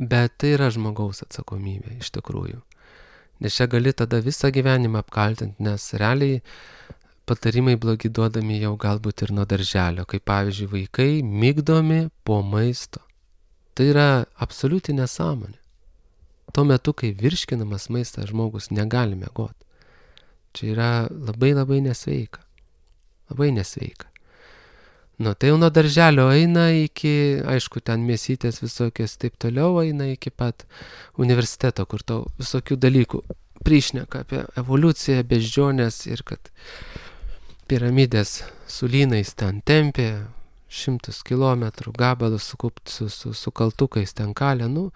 bet tai yra žmogaus atsakomybė iš tikrųjų. Nes čia gali tada visą gyvenimą apkaltinti, nes realiai patarimai blogi duodami jau galbūt ir nuo darželio, kaip pavyzdžiui vaikai migdomi po maisto. Tai yra absoliuti nesąmonė. Tuo metu, kai virškinamas maistas, žmogus negali miegoti. Čia yra labai labai nesveika. Labai nesveika. Nu, tai jau nuo darželio eina iki, aišku, ten mėsytės visokios taip toliau, eina iki pat universiteto, kur tau visokių dalykų prišneka apie evoliuciją, beždžionės ir kad piramidės su lynais ten tempė, šimtus kilometrų gabalus sukupt su, su, su kaltukais ten kalė, nu,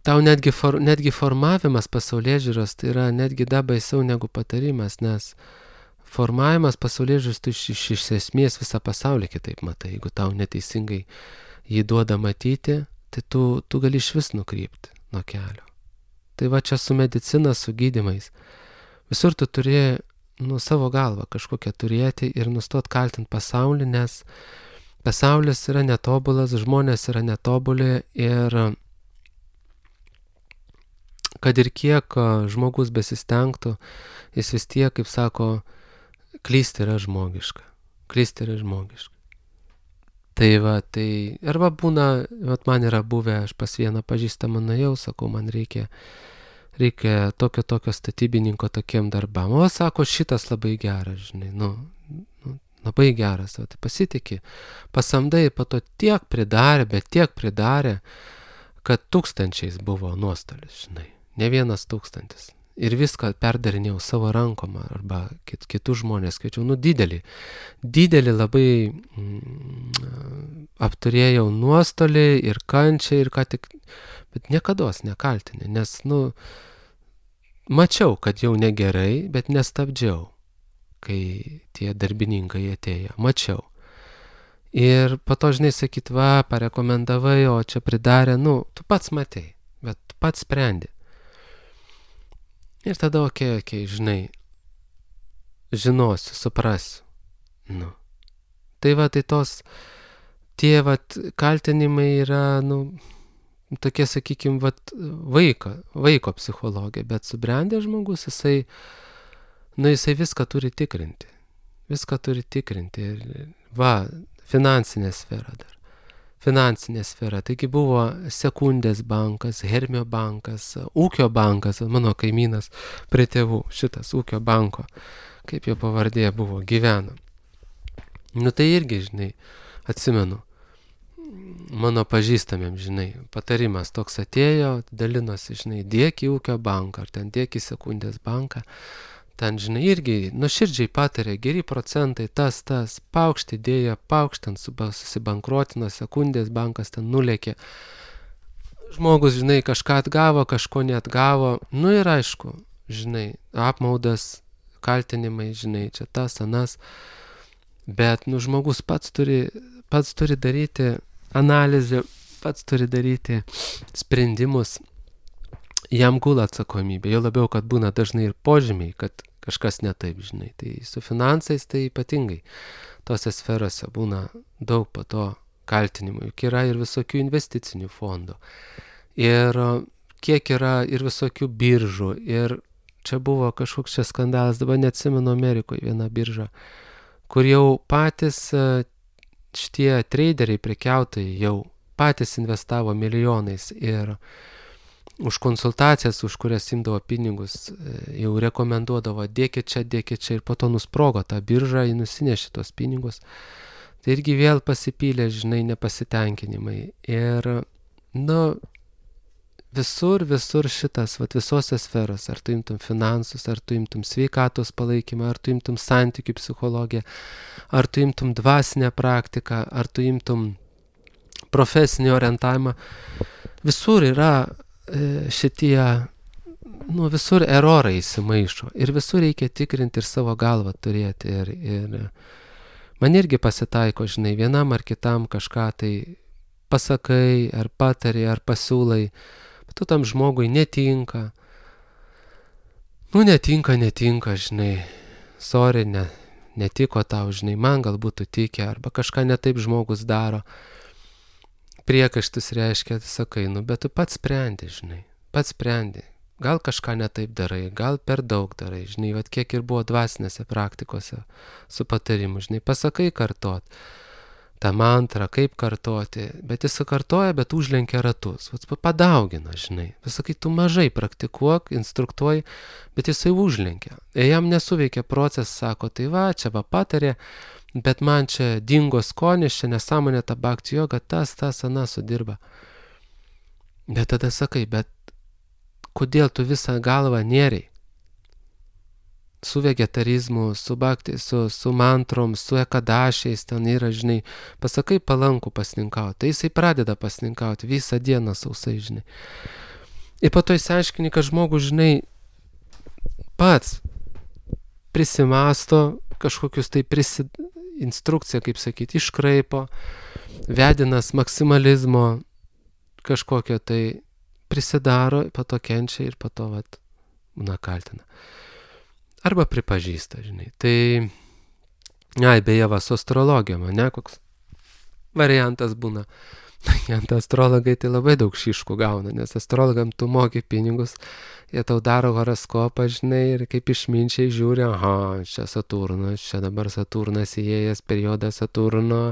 tau netgi, for, netgi formavimas pasaulėžiūros tai yra netgi dar baisiau negu patarimas, nes formavimas pasaulėžiūros tu iš, iš, iš esmės visą pasaulį kitaip matai, jeigu tau neteisingai jį duoda matyti, tai tu, tu gali iš vis nukrypti nuo kelio. Tai va čia su medicina, su gydymais. Visur tu turi nu, savo galvą kažkokią turėti ir nustot kaltinti pasaulį, nes pasaulis yra netobulas, žmonės yra netobuli ir kad ir kiek žmogus besistengtų, jis vis tiek, kaip sako, klysti yra žmogiška. Klysti yra žmogiška. Tai va, tai arba būna, vat man yra buvę, aš pas vieną pažįstamą nuėjau, sakau, man reikia reikia tokio tokio statybininko tokiem darbam. O, sako, šitas labai geras, žinai, nu, nu labai geras, o tai pasitikė. Pasamdai, po to tiek pridarė, bet tiek pridarė, kad tūkstančiais buvo nuostolis, žinai, ne vienas tūkstantis. Ir viską perdarinėjau savo rankom arba kit, kitus žmonės kviečiau, nu didelį, didelį labai mm, apturėjau nuostolį ir kančią ir ką tik, bet niekados nekaltinė, nes, nu, mačiau, kad jau negerai, bet nestabdžiau, kai tie darbininkai atėjo, mačiau. Ir po to, žinai, sakyt, va, parekomendavai, o čia pridarė, nu, tu pats matei, bet tu pats sprendi. Ir tada, okei, okay, okei, okay, žinai, žinosiu, suprasiu. Nu. Tai va, tai tos, tie, va, kaltinimai yra, nu, tokie, sakykime, va, vaiko, vaiko psichologija, bet subrendęs žmogus, jisai, nu, jisai viską turi tikrinti. Viską turi tikrinti. Ir, va, finansinė sfera dar. Finansinė sfera. Taigi buvo Sekundės bankas, Hermio bankas, Ūkio bankas, mano kaimynas prie tėvų, šitas Ūkio banko, kaip jo pavardė buvo, gyveno. Nu tai irgi, žinai, atsimenu, mano pažįstamėm, žinai, patarimas toks atėjo, dalinosi, žinai, dėk į Ūkio banką, ar ten dėk į Sekundės banką. Ten, žinai, irgi nuoširdžiai patarė, geri procentai, tas, tas, paukšt idėja, paukštant susibankrotino, Sekundės bankas ten nulėkė. Žmogus, žinai, kažką atgavo, kažko neatgavo. Nu ir aišku, žinai, apmaudas, kaltinimai, žinai, čia tas, anas. Bet, nu, žmogus pats turi, pats turi daryti analizę, pats turi daryti sprendimus. Jam gula atsakomybė, jau labiau, kad būna dažnai ir požymiai, kad kažkas ne taip, žinai. Tai su finansais tai ypatingai tose sferose būna daug po to kaltinimų. Juk yra ir visokių investicinių fondų. Ir kiek yra ir visokių biržų. Ir čia buvo kažkoks čia skandalas, dabar neatsimenu Amerikoje viena birža, kur jau patys šitie traderiai, prekiautojai jau patys investavo milijonais ir už konsultacijas, už kurias imdavo pinigus, jau rekomenduodavo, dėkit čia, dėkit čia, ir po to nusprogo tą biržą, jį nusinešė tos pinigus. Tai irgi vėl pasipylė, žinai, nepasitenkinimai. Ir, nu, visur, visur šitas, vat visose sferose, ar tu imtum finansus, ar tu imtum sveikatos palaikymą, ar tu imtum santykių psichologiją, ar tu imtum dvasinę praktiką, ar tu imtum profesinį orientavimą, visur yra šitie, nu, visur erorai įsimaišo ir visur reikia tikrinti ir savo galvą turėti ir, ir man irgi pasitaiko, žinai, vienam ar kitam kažką tai pasakai, ar patari, ar pasiūlai, bet tu tam žmogui netinka, nu, netinka, netinka, žinai, sorry, ne, netiko tau, žinai, man galbūt tu tikė, arba kažką ne taip žmogus daro. Priekaištus reiškia, sakai, nu, bet tu pats sprendi, žinai, pats sprendi. Gal kažką ne taip darai, gal per daug darai, žinai, vat kiek ir buvo dvasinėse praktikose su patarimu, žinai, pasakai kartot tą mantrą, kaip kartoti, bet jis kartoja, bet užlenkia ratus, vat padaugina, žinai, pasakai, tu mažai praktikuok, instruktuoji, bet jisai užlenkia. Ir jam nesuveikia procesas, sako, tai va, čia va patarė, bet man čia dingo skonis, čia nesąmonė ta bhakti joga, tas, tas, ana sudirba. Bet tada sakai, bet kodėl tu visą galvą nėriai? su vegetarizmu, su bhakti, su, su mantrom, su ekadašiais, ten yra, žinai, pasakai palankų pasninkauti, tai jisai pradeda pasninkauti visą dieną sausai, žinai. Ir po to įsiaiškini, kad žmogus, žinai, pats prisimasto kažkokius tai prisi... instrukciją, kaip sakyti, iškraipo, vedinas maksimalizmo kažkokio tai prisidaro, po to kenčia ir po to, vat, na, kaltina. Arba pripažįsta, žinai. Tai, ai, beje, va, su astrologija, ne, koks variantas būna. Ant astrologai tai labai daug šiškų gauna, nes astrologam tu moki pinigus, jie tau daro horoskopą, žinai, ir kaip išminčiai žiūri, aha, čia Saturnas, čia dabar Saturnas įėjęs periodą Saturno,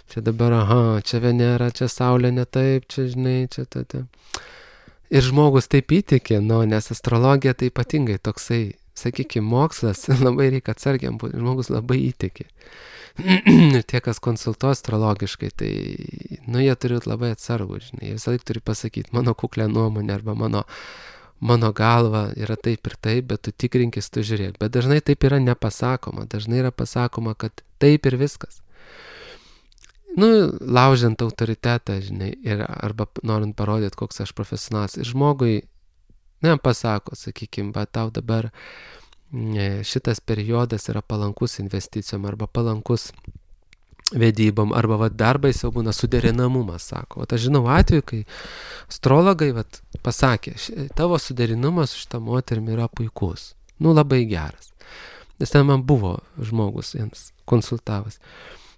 čia dabar, aha, čia Venera, čia Saulė ne taip, čia, žinai, čia ta, ta. Ir žmogus taip įtikė, nu, nes astrologija tai ypatingai toksai, sakykime, mokslas, labai reikia atsargiam būti, žmogus labai įtikė. Ir tie, kas konsultuoja astrologiškai, tai, nu, jie turi labai atsargų, žinai, jie visą laiką turi pasakyti, mano kuklę nuomonę arba mano, mano galva yra taip ir taip, bet tu tikrinkis, tu žiūrėk. Bet dažnai taip yra nepasakoma, dažnai yra pasakoma, kad taip ir viskas. Nu, laužiant autoritetą, žinai, ir arba norint parodyti, koks aš profesionalas. Ir žmogui, ne, pasako, sakykime, bet tau dabar šitas periodas yra palankus investicijom arba palankus vedybom, arba va, darbai jau būna suderinamumas, sako. O aš žinau atveju, kai astrologai vat, pasakė, tavo suderinamas su šitą moterimi yra puikus, nu labai geras. Nes ten man buvo žmogus jiems konsultavas.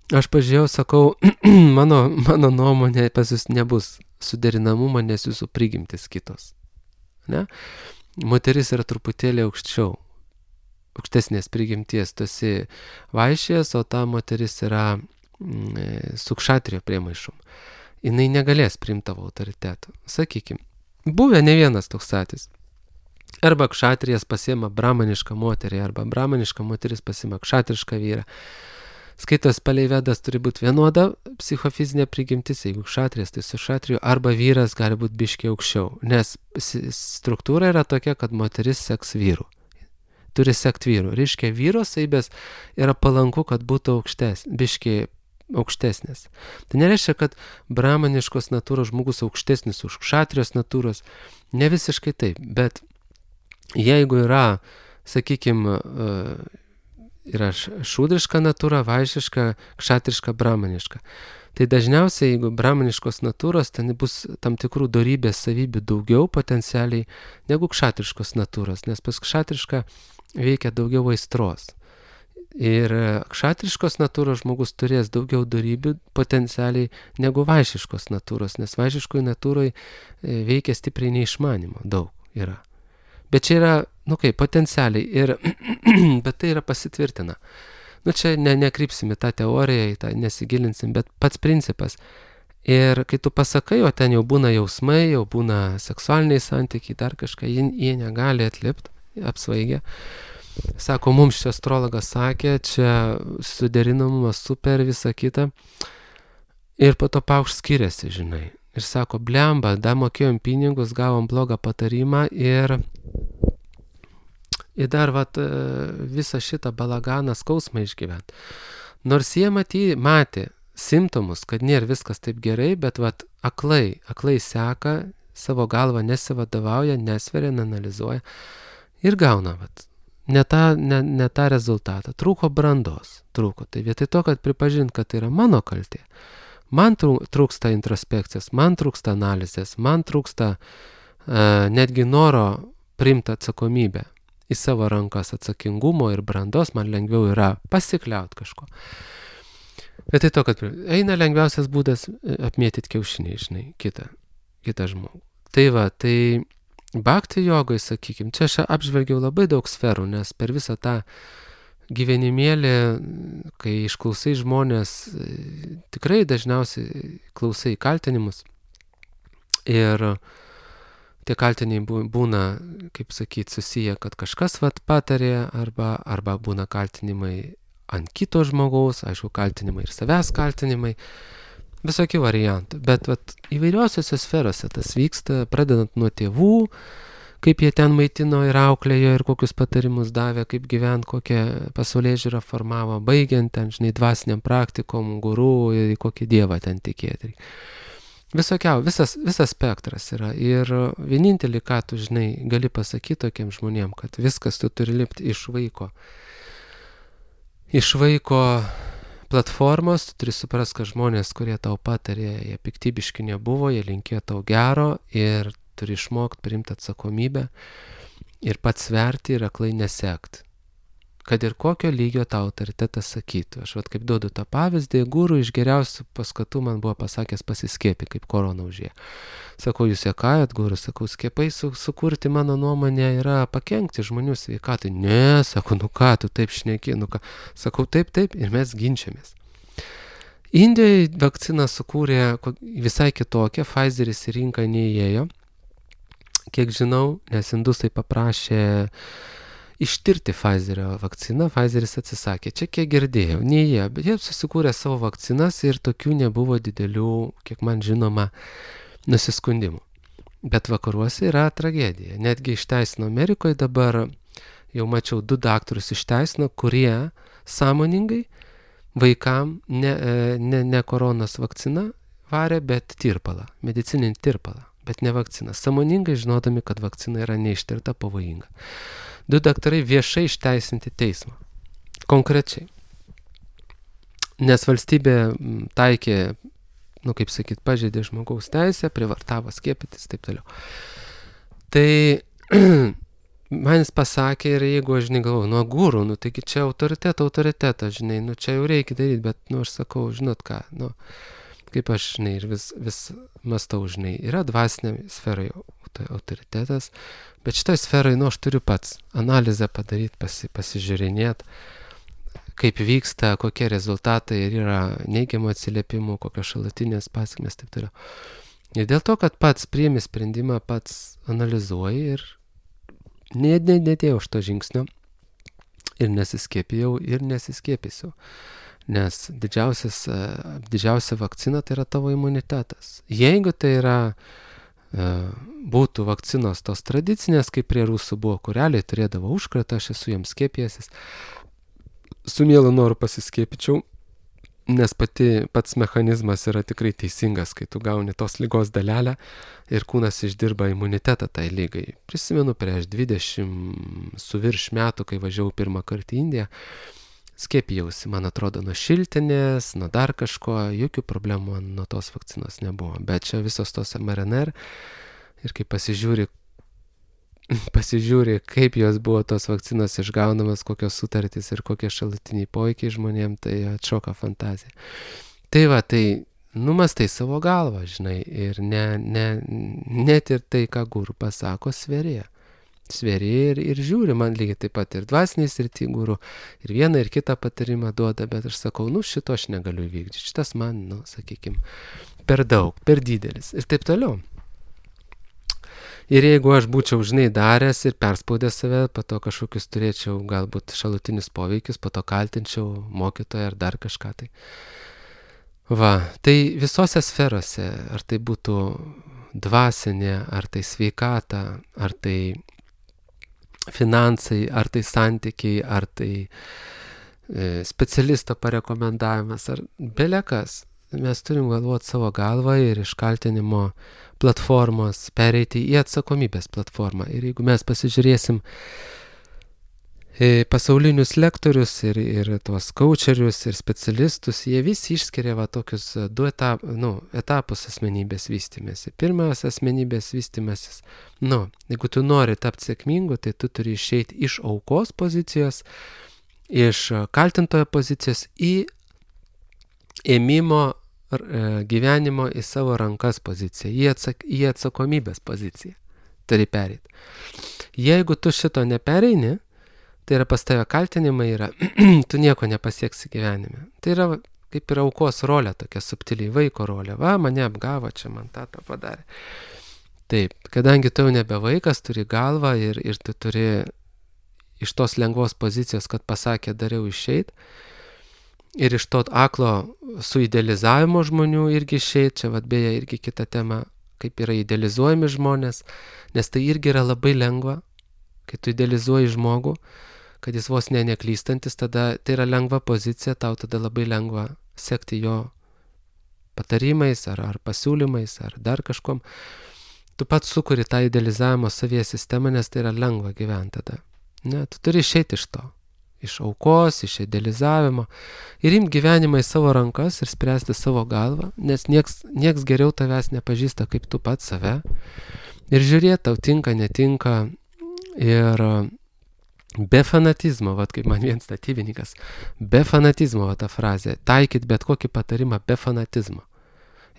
Aš pažiūrėjau, sakau, mano, mano nuomonė pas jūs nebus suderinamumą, nes jūsų prigimtis kitos. Ne? Moteris yra truputėlį aukščiau. Aukštesnės prigimties, tu esi vaišės, o ta moteris yra mm, su kšatrio priemaišom. Jinai negalės priimti tavo autoritetų. Sakykime, buvę ne vienas toks atvejis. Arba kšatrijas pasiema brahmanišką moterį, arba brahmaniška moteris pasiema kšatrišką vyrą. Skaitos palei Vedas turi būti vienoda psichofizinė prigimtis, jeigu kšatrijas, tai su kšatriju, arba vyras gali būti biškiai aukščiau, nes struktūra yra tokia, kad moteris seks vyrų. Turi sekti vyrų. Reiškia, vyro savybės yra palanku, kad būtų aukštes, biškiai aukštesnės. Tai nereiškia, kad brahmaniškos natūros žmogus aukštesnis už kšatrijos natūros. Ne visiškai taip, bet jeigu yra, sakykime, yra šūdriška natūra, vaišiška, kšatriška, brahmaniška. Tai dažniausiai, jeigu brahmaniškos natūros, ten bus tam tikrų dorybės savybių daugiau potencialiai negu kšatriškos natūros, nes pas kšatrišką veikia daugiau aistros. Ir kšatriškos natūros žmogus turės daugiau dorybių potencialiai negu vaišiškos natūros, nes vaišiškoj natūroj veikia stipriai neišmanimo, daug yra. Bet čia yra, nu kaip, potencialiai, ir, bet tai yra pasitvirtina. Nu čia ne, nekrypsim į tą teoriją, į tą nesigilinsim, bet pats principas. Ir kai tu pasakai, o ten jau būna jausmai, jau būna seksualiniai santykiai, dar kažką, jie, jie negali atlipti, apsvaigę. Sako, mums čia astrologas sakė, čia suderinamumas super, visa kita. Ir po to paukšt skiriasi, žinai. Ir sako, blemba, da mokėjom pinigus, gavom blogą patarimą ir... Ir dar vat, visą šitą balaganą skausmą išgyvent. Nors jie matė, matė simptomus, kad nėra viskas taip gerai, bet vat, aklai, aklai seka, savo galvą nesivadovauja, nesveria, neanalizuoja ir gauna vat, ne, tą, ne, ne tą rezultatą. Trūko brandos. Trūko. Tai vietoj to, kad pripažint, kad tai yra mano kaltė, man trūksta introspekcijos, man trūksta analizės, man trūksta uh, netgi noro priimti atsakomybę į savo rankas, atsakingumo ir brandos, man lengviau yra pasikliaut kažko. Bet tai to, kad eina lengviausias būdas apmėtyti kiaušinį, žinai, kitą, kitą žmogų. Tai va, tai bhakti jogoj, sakykime, čia aš apžvelgiau labai daug sferų, nes per visą tą gyvenimėlį, kai išklausai žmonės, tikrai dažniausiai klausai kaltinimus ir tie kaltiniai būna, kaip sakyti, susiję, kad kažkas vat patarė, arba, arba būna kaltinimai ant kito žmogaus, aišku, kaltinimai ir savęs kaltinimai, visokių variantų. Bet vat, įvairiausiose sferose tas vyksta, pradedant nuo tėvų, kaip jie ten maitino ir auklėjo ir kokius patarimus davė, kaip gyvent, kokią pasaulėžiūrą formavo, baigiant ten, žinai, dvasiniam praktikom, guru ir kokį dievą ten tikėti. Visokiau, visas, visas spektras yra. Ir vienintelį, ką tu, žinai, gali pasakyti tokiem žmonėm, kad viskas tu turi lipti iš vaiko. Iš vaiko platformos, tu turi suprast, kad žmonės, kurie tau patarė, jie piktybiški nebuvo, jie linkėjo tau gero ir turi išmokti priimti atsakomybę ir pats sverti ir aklai nesekt. Kad ir kokio lygio tau autoritetas sakytų. Aš vat kaip duodu tą pavyzdį, guru iš geriausių paskatų man buvo pasakęs pasiskiepį, kaip korona užėjo. Sakau, jūs juokaujat, guru, sakau, skiepai su, sukurti mano nuomonė yra pakenkti žmonių sveikatai. Ne, sakau, nu ką, tu taip šneki, nu ką. Sakau, taip, taip, ir mes ginčiamės. Indijoje vakciną sukūrė visai kitokią, Pfizeris į rinką neįėjo. Kiek žinau, nes indusai paprašė ištirti Pfizerio vakciną, Pfizeris atsisakė. Čia kiek girdėjau, ne jie, bet jie susikūrė savo vakcinas ir tokių nebuvo didelių, kiek man žinoma, nusiskundimų. Bet vakaruose yra tragedija. Netgi išteisino Amerikoje dabar, jau mačiau, du daktarus išteisino, kurie sąmoningai vaikam ne, ne, ne koronos vakciną varė, bet tirpalą, medicininį tirpalą. Bet ne vakcina. Sąmoningai žinodami, kad vakcina yra neištirta, pavojinga. Du daktarai viešai išteisinti teismą. Konkrečiai. Nes valstybė taikė, nu kaip sakyt, pažeidė žmogaus teisę, privartavo skiepytis, taip toliau. Tai man jis pasakė ir jeigu aš, žinai, galvoju, nu guru, nu taigi čia autoriteto, autoriteto, žinai, nu čia jau reikia daryti, bet, nu aš sakau, žinot ką, nu kaip aš, žinai, ir vis, vis mastau, žinai, yra dvasinė sferai autoritetas, bet šitoj sferai, nu, aš turiu pats analizę padaryti, pasi, pasižiūrinėti, kaip vyksta, kokie rezultatai ir yra neigiamų atsiliepimų, kokios šalutinės pasekmės, taip toliau. Ir dėl to, kad pats priimi sprendimą, pats analizuoji ir nedėjau už to žingsnio ir nesiskiepijau ir nesiskiepysiu. Nes didžiausias, didžiausia vakcina tai yra tavo imunitetas. Jeigu tai yra, būtų vakcinos tos tradicinės, kaip prie rusų buvo, kur realiai turėdavo užkratą, aš esu jiems skiepijęsis, su mielu noru pasiskiepyčiau, nes pati, pats mechanizmas yra tikrai teisingas, kai tu gauni tos ligos dalelę ir kūnas išdirba imunitetą tai lygai. Prisimenu prieš dvidešimt su virš metų, kai važiavau pirmą kartą į Indiją, skiepijausi, man atrodo, nuo šiltinės, nuo dar kažko, jokių problemų nuo tos vakcinos nebuvo. Bet čia visos tos em er en er ir kai pasižiūri, pasižiūri, kaip jos buvo tos vakcinos išgaunamas, kokios sutartys ir kokie šalutiniai poveikiai žmonėm, tai atšoka fantazija. Tai va, tai numastai savo galvą, žinai, ir ne, ne, net ir tai, ką guru pasako, sverė. Sverė ir, ir žiūri, man lygiai taip pat ir dvasiniai srity guru, ir vieną ir kitą patarimą duoda, bet aš sakau, nu šito aš negaliu įvykdyti, šitas man, nu, sakykime, per daug, per didelis ir taip toliau. Ir jeigu aš būčiau, žinai, daręs ir perspaudęs save, po to kažkokius turėčiau galbūt šalutinius poveikius, po to kaltinčiau mokytoją ar dar kažką tai. Va, tai visose sferose, ar tai būtų dvasinė, ar tai sveikata, ar tai finansai, ar tai santykiai, ar tai e, specialisto parekomendavimas, ar belekas. Mes turim galvoti savo galvą ir iš kaltinimo platformos pereiti į atsakomybės platformą. Ir jeigu mes pasižiūrėsim pasaulinius lektorius ir, ir tuos coacherius ir specialistus, jie visi išskiria va tokius du etap, nu, etapus asmenybės vystymėsi. Pirmas asmenybės vystymasis, nu, jeigu tu nori tapti sėkmingu, tai tu turi išeiti iš aukos pozicijos, iš kaltintojo pozicijos į ėmimo gyvenimo į savo rankas poziciją, į, atsak, į atsakomybės poziciją. Turi pereiti. Jeigu tu šito nepereini, tai yra pas tave kaltinimai yra, tu nieko nepasieksi gyvenime. Tai yra kaip ir aukos rolė, tokia subtiliai vaiko rolė. Va, mane apgavo, čia man tą tą padarė. Taip, kadangi tu jau nebe vaikas, turi galvą ir, ir tu turi iš tos lengvos pozicijos, kad pasakė, dariau išeit, ir iš to aklo suidealizavimo žmonių irgi išeit, čia vat beje irgi kita tema, kaip yra idealizuojami žmonės, nes tai irgi yra labai lengva, kai tu idealizuoji žmogų, kad jis vos ne neklystantis, tada tai yra lengva pozicija, tau tada labai lengva sekti jo patarimais ar, ar pasiūlymais ar dar kažkom. Tu pats sukuri tą idealizavimo savyje sistemą, nes tai yra lengva gyventi tada. Ne, tu turi išeiti iš to, iš aukos, iš idealizavimo ir imti gyvenimą į savo rankas ir spręsti savo galvą, nes nieks, nieks geriau tavęs nepažįsta kaip tu pats save. Ir žiūrėti, tau tinka, netinka ir be fanatizmo, vat kaip man vienas statybininkas, be fanatizmo, va ta frazė, taikyt bet kokį patarimą be fanatizmo.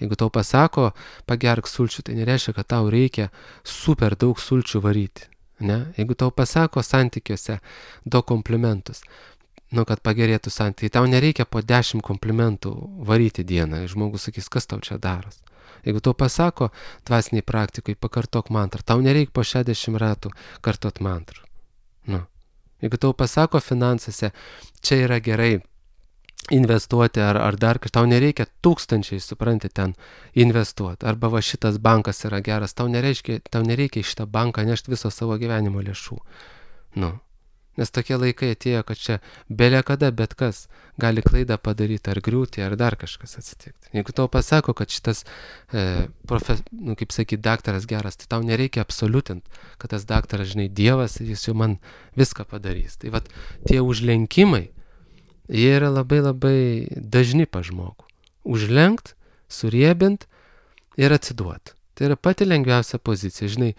Jeigu tau pasako, pagerk sulčių, tai nereiškia, kad tau reikia super daug sulčių varyti. Ne? Jeigu tau pasako santykiuose du komplimentus, nu, kad pagerėtų santykiai, tau nereikia po dešimt komplimentų varyti dieną. Žmogus sakys, kas tau čia daros. Jeigu tau pasako dvasiniai praktikui, pakartok mantrą, tau nereikia po šešiasdešimt ratų kartot mantrų. Nu. Jeigu tau pasako finansuose, čia yra gerai investuoti ar, ar dar kažką, tau nereikia tūkstančiai, supranti, ten investuoti. Arba va šitas bankas yra geras, tau nereikia, tau nereikia į šitą banką nešti viso savo gyvenimo lėšų. Nu. Nes tokie laikai atėjo, kad čia belia kada, bet kas gali klaidą padaryti, ar griūti, ar dar kažkas atsitikti. Jeigu tau pasako, kad šitas, e, profe, nu, kaip sakyti, daktaras geras, tai tau nereikia absoliutinti, kad tas daktaras, žinai, Dievas, jis jau man viską padarys. Tai vat tie užlenkimai, jie yra labai labai dažni pa žmogų. Užlenkt, suriebint ir atsiduoti. Tai yra pati lengviausia pozicija. Žinai,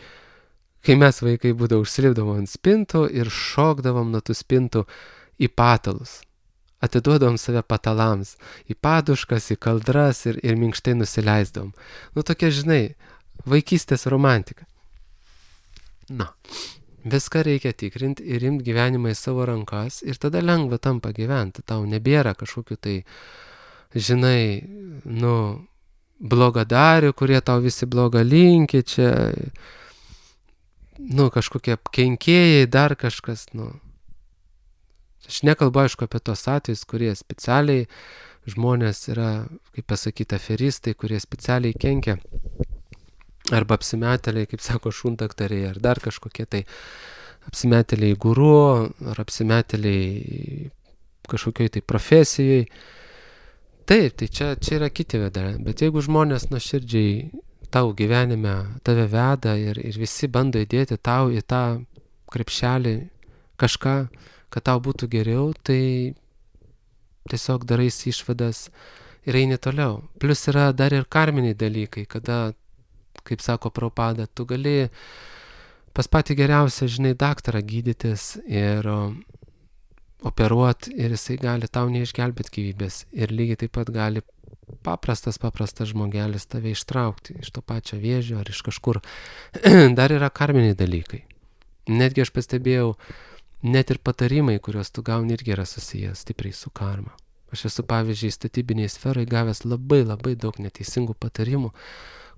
kai mes vaikai būdavo užsilipdavom ant spintų ir šokdavom nuo tų spintų į patalus. Atiduodavom save patalams, į paduškas, į kaldras ir, ir minkštai nusileisdavom. Nu tokia, žinai, vaikystės romantika. Na. Viską reikia tikrinti ir imti gyvenimą į savo rankas ir tada lengva tampa gyventi. Tau nebėra kažkokių tai, žinai, nu, blogadarių, kurie tau visi blogą linki, čia, nu, kažkokie kenkėjai, dar kažkas, nu. Aš nekalbu, aišku, apie tos atvejus, kurie specialiai, žmonės yra, kaip pasakyti, aferistai, kurie specialiai kenkia. Arba apsimetėliai, kaip sako, šundaktariai, ar dar kažkokie tai apsimetėliai guru, ar apsimetėliai kažkokioj tai profesijai. Taip, tai čia, čia yra kiti vedai, bet jeigu žmonės nuoširdžiai tau gyvenime tave veda ir, ir visi bando įdėti tau į tą krepšelį kažką, kad tau būtų geriau, tai tiesiog daraisi išvadas ir eini toliau. Plius yra dar ir karminiai dalykai, kada kaip sako Prabhupada, tu gali pas patį geriausią, žinai, daktarą gydytis ir operuoti ir jisai gali tau neišgelbėti gyvybės ir lygiai taip pat gali paprastas, paprastas žmogelis tave ištraukti iš to pačio vėžio ar iš kažkur. Dar yra karminiai dalykai. Netgi aš pastebėjau, net ir patarimai, kuriuos tu gauni, irgi yra susijęs stipriai su karma. Aš esu, pavyzdžiui, statybiniai sferai gavęs labai labai daug neteisingų patarimų,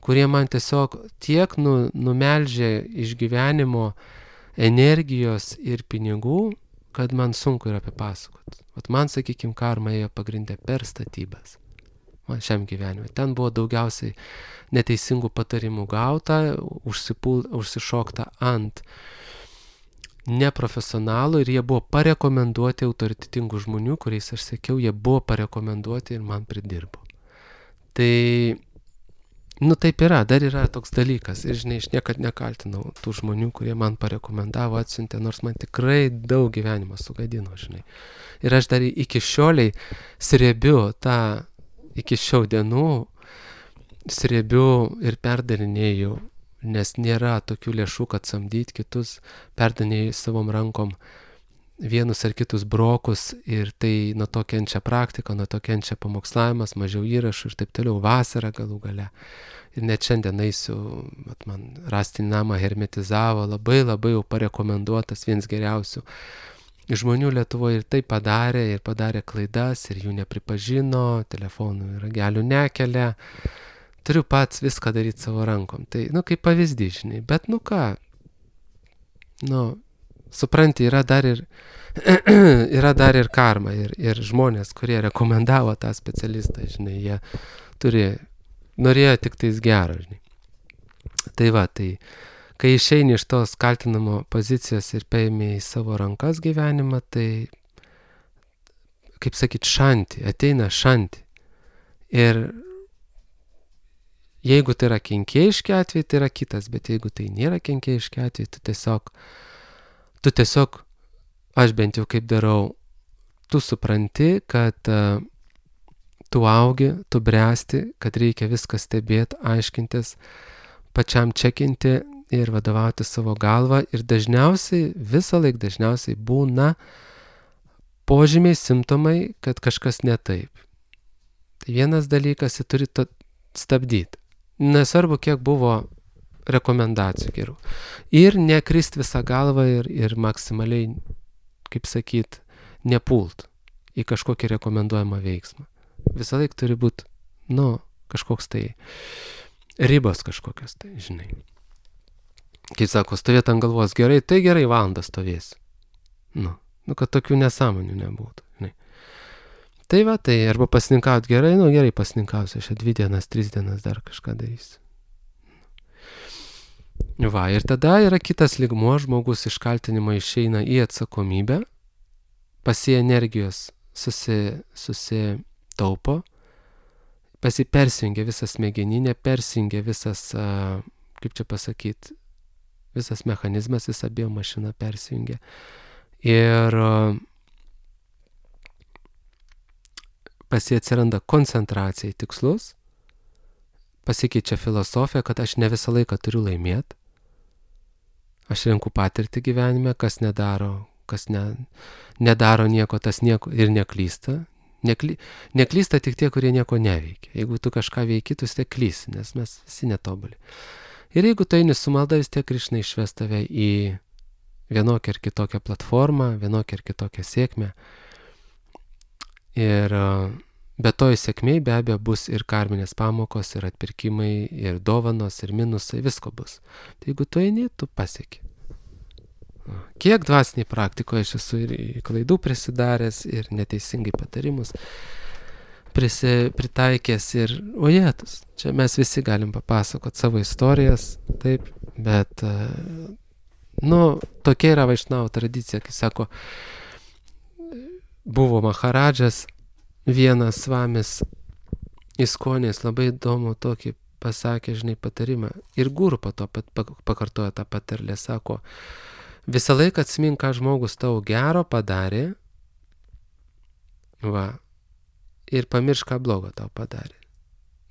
kurie man tiesiog tiek nu, numeldžia iš gyvenimo energijos ir pinigų, kad man sunku yra apipasakot. Vat man, sakykime, karma ėjo pagrindė per statybas. Man šiam gyvenimui. Ten buvo daugiausiai neteisingų patarimų gauta, užsipul, užsišokta ant neprofesionalų ir jie buvo parekomenduoti autoritetingų žmonių, kuriais aš sakiau, jie buvo parekomenduoti ir man pridirbo. Tai nu taip yra, dar yra toks dalykas ir žinai, aš niekad nekaltinau tų žmonių, kurie man parekomendavo, atsiuntė, nors man tikrai daug gyvenimo sugadino, žinai. Ir aš dar iki šioliai sriebiu tą, iki šių dienų sriebiu ir perdarinėju, nes nėra tokių lėšų, kad samdyti kitus, perdarinėju savom rankom vienus ar kitus brokus ir tai nuo to kenčia praktika, nuo to kenčia pamokslavimas, mažiau įrašų ir taip toliau, vasara galų gale. Ir net šiandien eisiu, mat man rastinį namą hermetizavo, labai labai jau parekomenduotas, vienas geriausių žmonių Lietuvoje ir tai padarė, ir padarė klaidas, ir jų nepripažino, telefonų ragelių nekelia. Turiu pats viską daryti savo rankom. Tai, nu, kaip pavyzdys, žinai, bet nu ką, nu, supranti, yra dar ir, yra dar ir karma ir, ir žmonės, kurie rekomendavo tą specialistą, žinai, jie turi, norėjo tik tais gerą, žinai. Tai va, tai kai išeini iš tos kaltinamo pozicijos ir paimi į savo rankas gyvenimą, tai, kaip sakyt, šanti, ateina šanti. Ir jeigu tai yra kenkėjiški atvejai, tai yra kitas, bet jeigu tai nėra kenkėjiški atvejai, tu tiesiog, tu tiesiog, aš bent jau kaip darau, tu supranti, kad uh, tu augi, tu bręsti, kad reikia viską stebėti, aiškintis, pačiam čekinti ir vadovauti savo galvą. Ir dažniausiai, visą laiką dažniausiai būna požymiai, simptomai, kad kažkas ne taip. Tai vienas dalykas, jį turi stabdyti. Nesvarbu, kiek buvo rekomendacijų gerų. Ir nekrist visą galvą ir, ir maksimaliai, kaip sakyt, nepult į kažkokį rekomenduojamą veiksmą. Visą laiką turi būti, nu, kažkoks tai ribos kažkokios, tai žinai. Kai sako, stovėt ant galvos gerai, tai gerai valandą stovėsi. Nu, nu, kad tokių nesąmonių nebūtų, žinai. Tai va, tai arba pasninkauti gerai, nu gerai pasninkausiu, aš dvi dienas, tris dienas dar kažką darysiu. Va, ir tada yra kitas lygmuo, žmogus iš kaltinimo išeina į atsakomybę, pasi energijos susi, susitaupo, pasi persijungia visas smegeninė, persijungia visas, a, kaip čia pasakyti, visas mechanizmas, visa biomašina persijungia. Ir a, pasi atsiranda koncentracija į tikslus, pasikeičia filosofija, kad aš ne visą laiką turiu laimėti. Aš renku patirtį gyvenime, kas nedaro, kas ne, nedaro nieko, tas nieko ir neklysta. Nekly, neklysta tik tie, kurie nieko neveikia. Jeigu tu kažką veiki, tu vis tiek klysi, nes mes visi netobuli. Ir jeigu tu eini su malda, vis tiek Krišna išves tave į vienokią ar kitokią platformą, vienokią ar kitokią sėkmę. Ir be to į sėkmėj be abejo bus ir karminės pamokos, ir atpirkimai, ir dovanos, ir minusai, visko bus. Tai jeigu tu eini, tu pasieki. Kiek dvasiniai praktikoje aš esu ir klaidų prisidaręs, ir neteisingai patarimus prisi, pritaikęs, ir ojetus. Čia mes visi galim papasakoti savo istorijas, taip, bet, nu, tokia yra Vaišnavų tradicija, kai sako, buvo Maharadžas, vienas svamis Iskonės, labai įdomu tokį pasakė, žinai, patarimą. Ir guru po to pat pakartojo tą patarlę, sako, visą laiką atsimink, ką žmogus tau gero padarė, va, ir pamiršk, ką blogo tau padarė.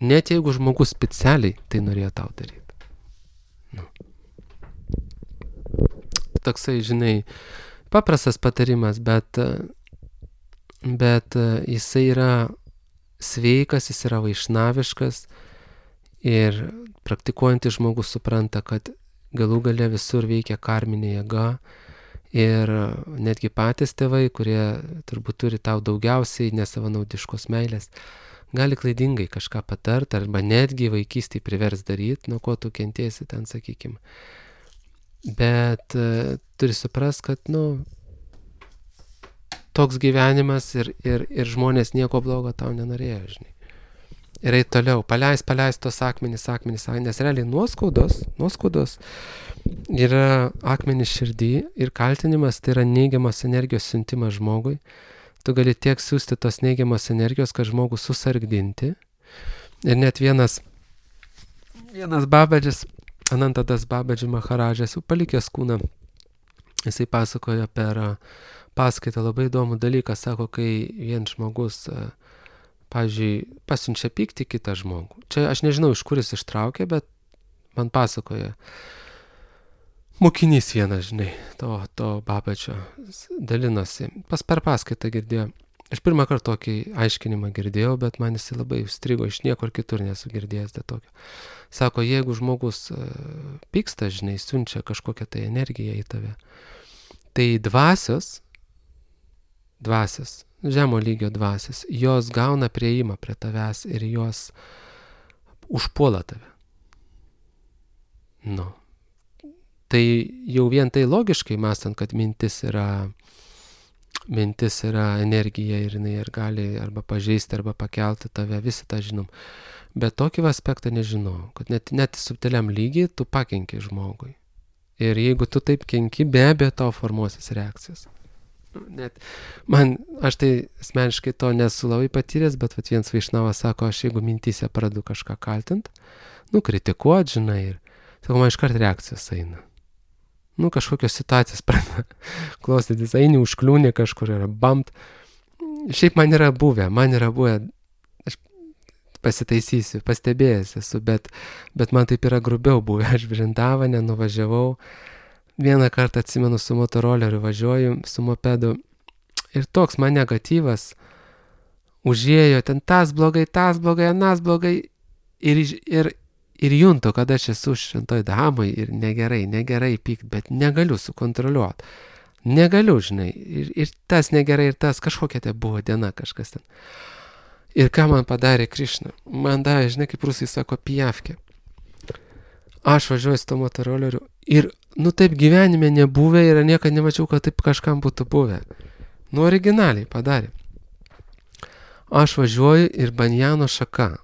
Net jeigu žmogus specialiai tai norėjo tau daryti. Nu. Toksai, žinai, paprastas patarimas, bet bet jisai yra sveikas, jis yra vaišnaviškas ir praktikuojantis žmogus supranta, kad galų gale visur veikia karminė jėga ir netgi patys tėvai, kurie turbūt turi tau daugiausiai nesavanaudiškos meilės, gali klaidingai kažką patart arba netgi vaikystėje privers daryti, nuo ko tu kentėsi ten, sakykim. Bet uh, turi suprast, kad, nu, toks gyvenimas ir, ir, ir žmonės nieko blogo tau nenorėjo, žinai. Ir eit toliau, paleis, paleis tos akmenys, akmenys, akmenys, nes realiai nuoskaudos, nuoskaudos yra akmenys širdį ir kaltinimas, tai yra neigiamos energijos siuntimas žmogui. Tu gali tiek siūsti tos neigiamos energijos, kad žmogų susargdinti. Ir net vienas, vienas babadžis, Anantadas Babadži Maharadžas, jau palikęs kūną, jisai pasakojo per paskaitą labai įdomų dalyką, sako, kai vien žmogus, pavyzdžiui, pasiunčia pyktį kitą žmogų. Čia aš nežinau, iš kur jis ištraukė, bet man pasakoja. Mokinys vienas, žinai, to, to Babadžio dalinosi. Pas per paskaitą girdėjo. Aš pirmą kartą tokį aiškinimą girdėjau, bet man jis labai užstrigo, iš niekur kitur nesu girdėjęs dėl tokio. Sako, jeigu žmogus pyksta, žinai, siunčia kažkokią tai energiją į tave, tai dvasios, dvasios, žemo lygio dvasios, jos gauna prieimą prie tavęs ir jos užpuola tave. Nu. Tai jau vien tai logiškai mąstant, kad mintis yra, mintis yra energija ir jinai ir gali arba pažeisti, arba pakelti tave, visi tą žinom. Bet tokį aspektą nežinau, kad net, net subtiliam lygiai tu pakenki žmogui. Ir jeigu tu taip kenki, be abejo tau formuosis reakcijas. Net man, aš tai asmeniškai to nesu labai patyręs, bet vat, vienas Vaišnavas sako, aš jeigu mintyse pradedu kažką kaltint, nu, kritikuot, žinai, ir sako, man iškart reakcijos eina. Nu, kažkokios situacijos pradeda klausytis, eini užkliūnė kažkur yra bamt. Šiaip man yra buvę, man yra buvę, aš pasitaisysiu, pastebėjęs esu, bet, bet man taip yra grubiau buvę, aš Vrindavane nuvažiavau, vieną kartą atsimenu su motoroleriu važiuoju, su mopedu, ir toks man negatyvas užėjo, ten tas blogai, tas blogai, anas blogai, ir, ir, ir juntu, kad aš esu šventoj damai ir negerai, negerai pykt, bet negaliu sukontroliuoti. Negaliu, žinai, ir, ir tas negerai, ir tas, kažkokia tai buvo diena kažkas ten. Ir ką man padarė Krišna? Man davė, žinai, kaip rusai sako, pijavkė. Aš važiuoju su to motoroleriu ir, nu taip gyvenime nebuvę ir niekada nemačiau, kad taip kažkam būtų buvę. Nu originaliai padarė. Aš važiuoju ir banjano šaka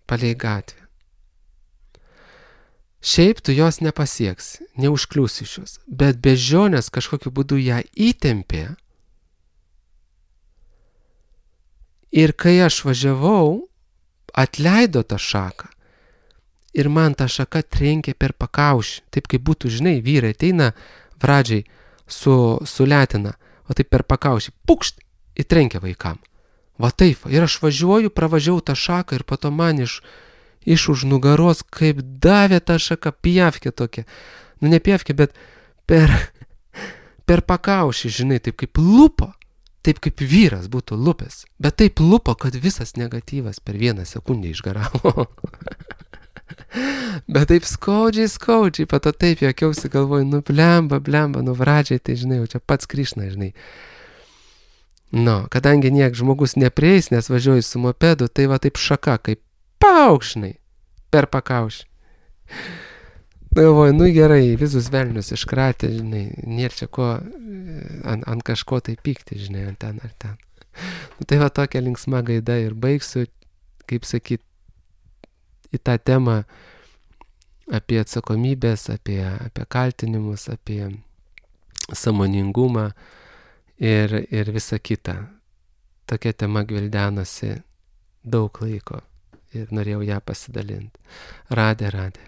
palei gatvę. Šiaip tu jos nepasieksi, neužkliūsi iš jos, bet bežionės kažkokiu būdu ją įtempė. Ir kai aš važiavau, atleido tą šaką ir man ta šaka trenkė per pakaušį. Taip kaip būtų, žinai, vyrai ateina vradžiai su, su letina, o taip per pakaušį, pukšt, įtrenkia vaikam. Va taip, ir aš važiuoju, pravažiavau tą šaką ir po to man iš, iš už nugaros, kaip davė tą šaką, pijavkė tokia. Nu ne pijavkė, bet per, per pakaušį, žinai, taip kaip lupo. Taip kaip vyras būtų lupęs, bet taip lupo, kad visas negatyvas per vieną sekundę išgaravo. Bet taip skaudžiai, skaudžiai, pato taip jokiausi galvoju, nu blemba, blemba, nu vradžiai, tai žinai, jau čia pats Krišna, žinai. Nu, kadangi niek žmogus neprieis, nes važiuoju su mopedu, tai va taip šaka, kaip paukšnai per pakaušį. Galvoju, nu gerai, visus velnius iškratė, žinai, nėra čia ko ant, ant kažko tai pykti, žinai, ant ten ar ten. Nu, tai va tokia linksma gaida ir baigsiu, kaip sakyt, į tą temą apie atsakomybės, apie, apie kaltinimus, apie sąmoningumą ir, ir visa kita. Tokia tema gvildenasi daug laiko ir norėjau ją pasidalinti. Radė, radė.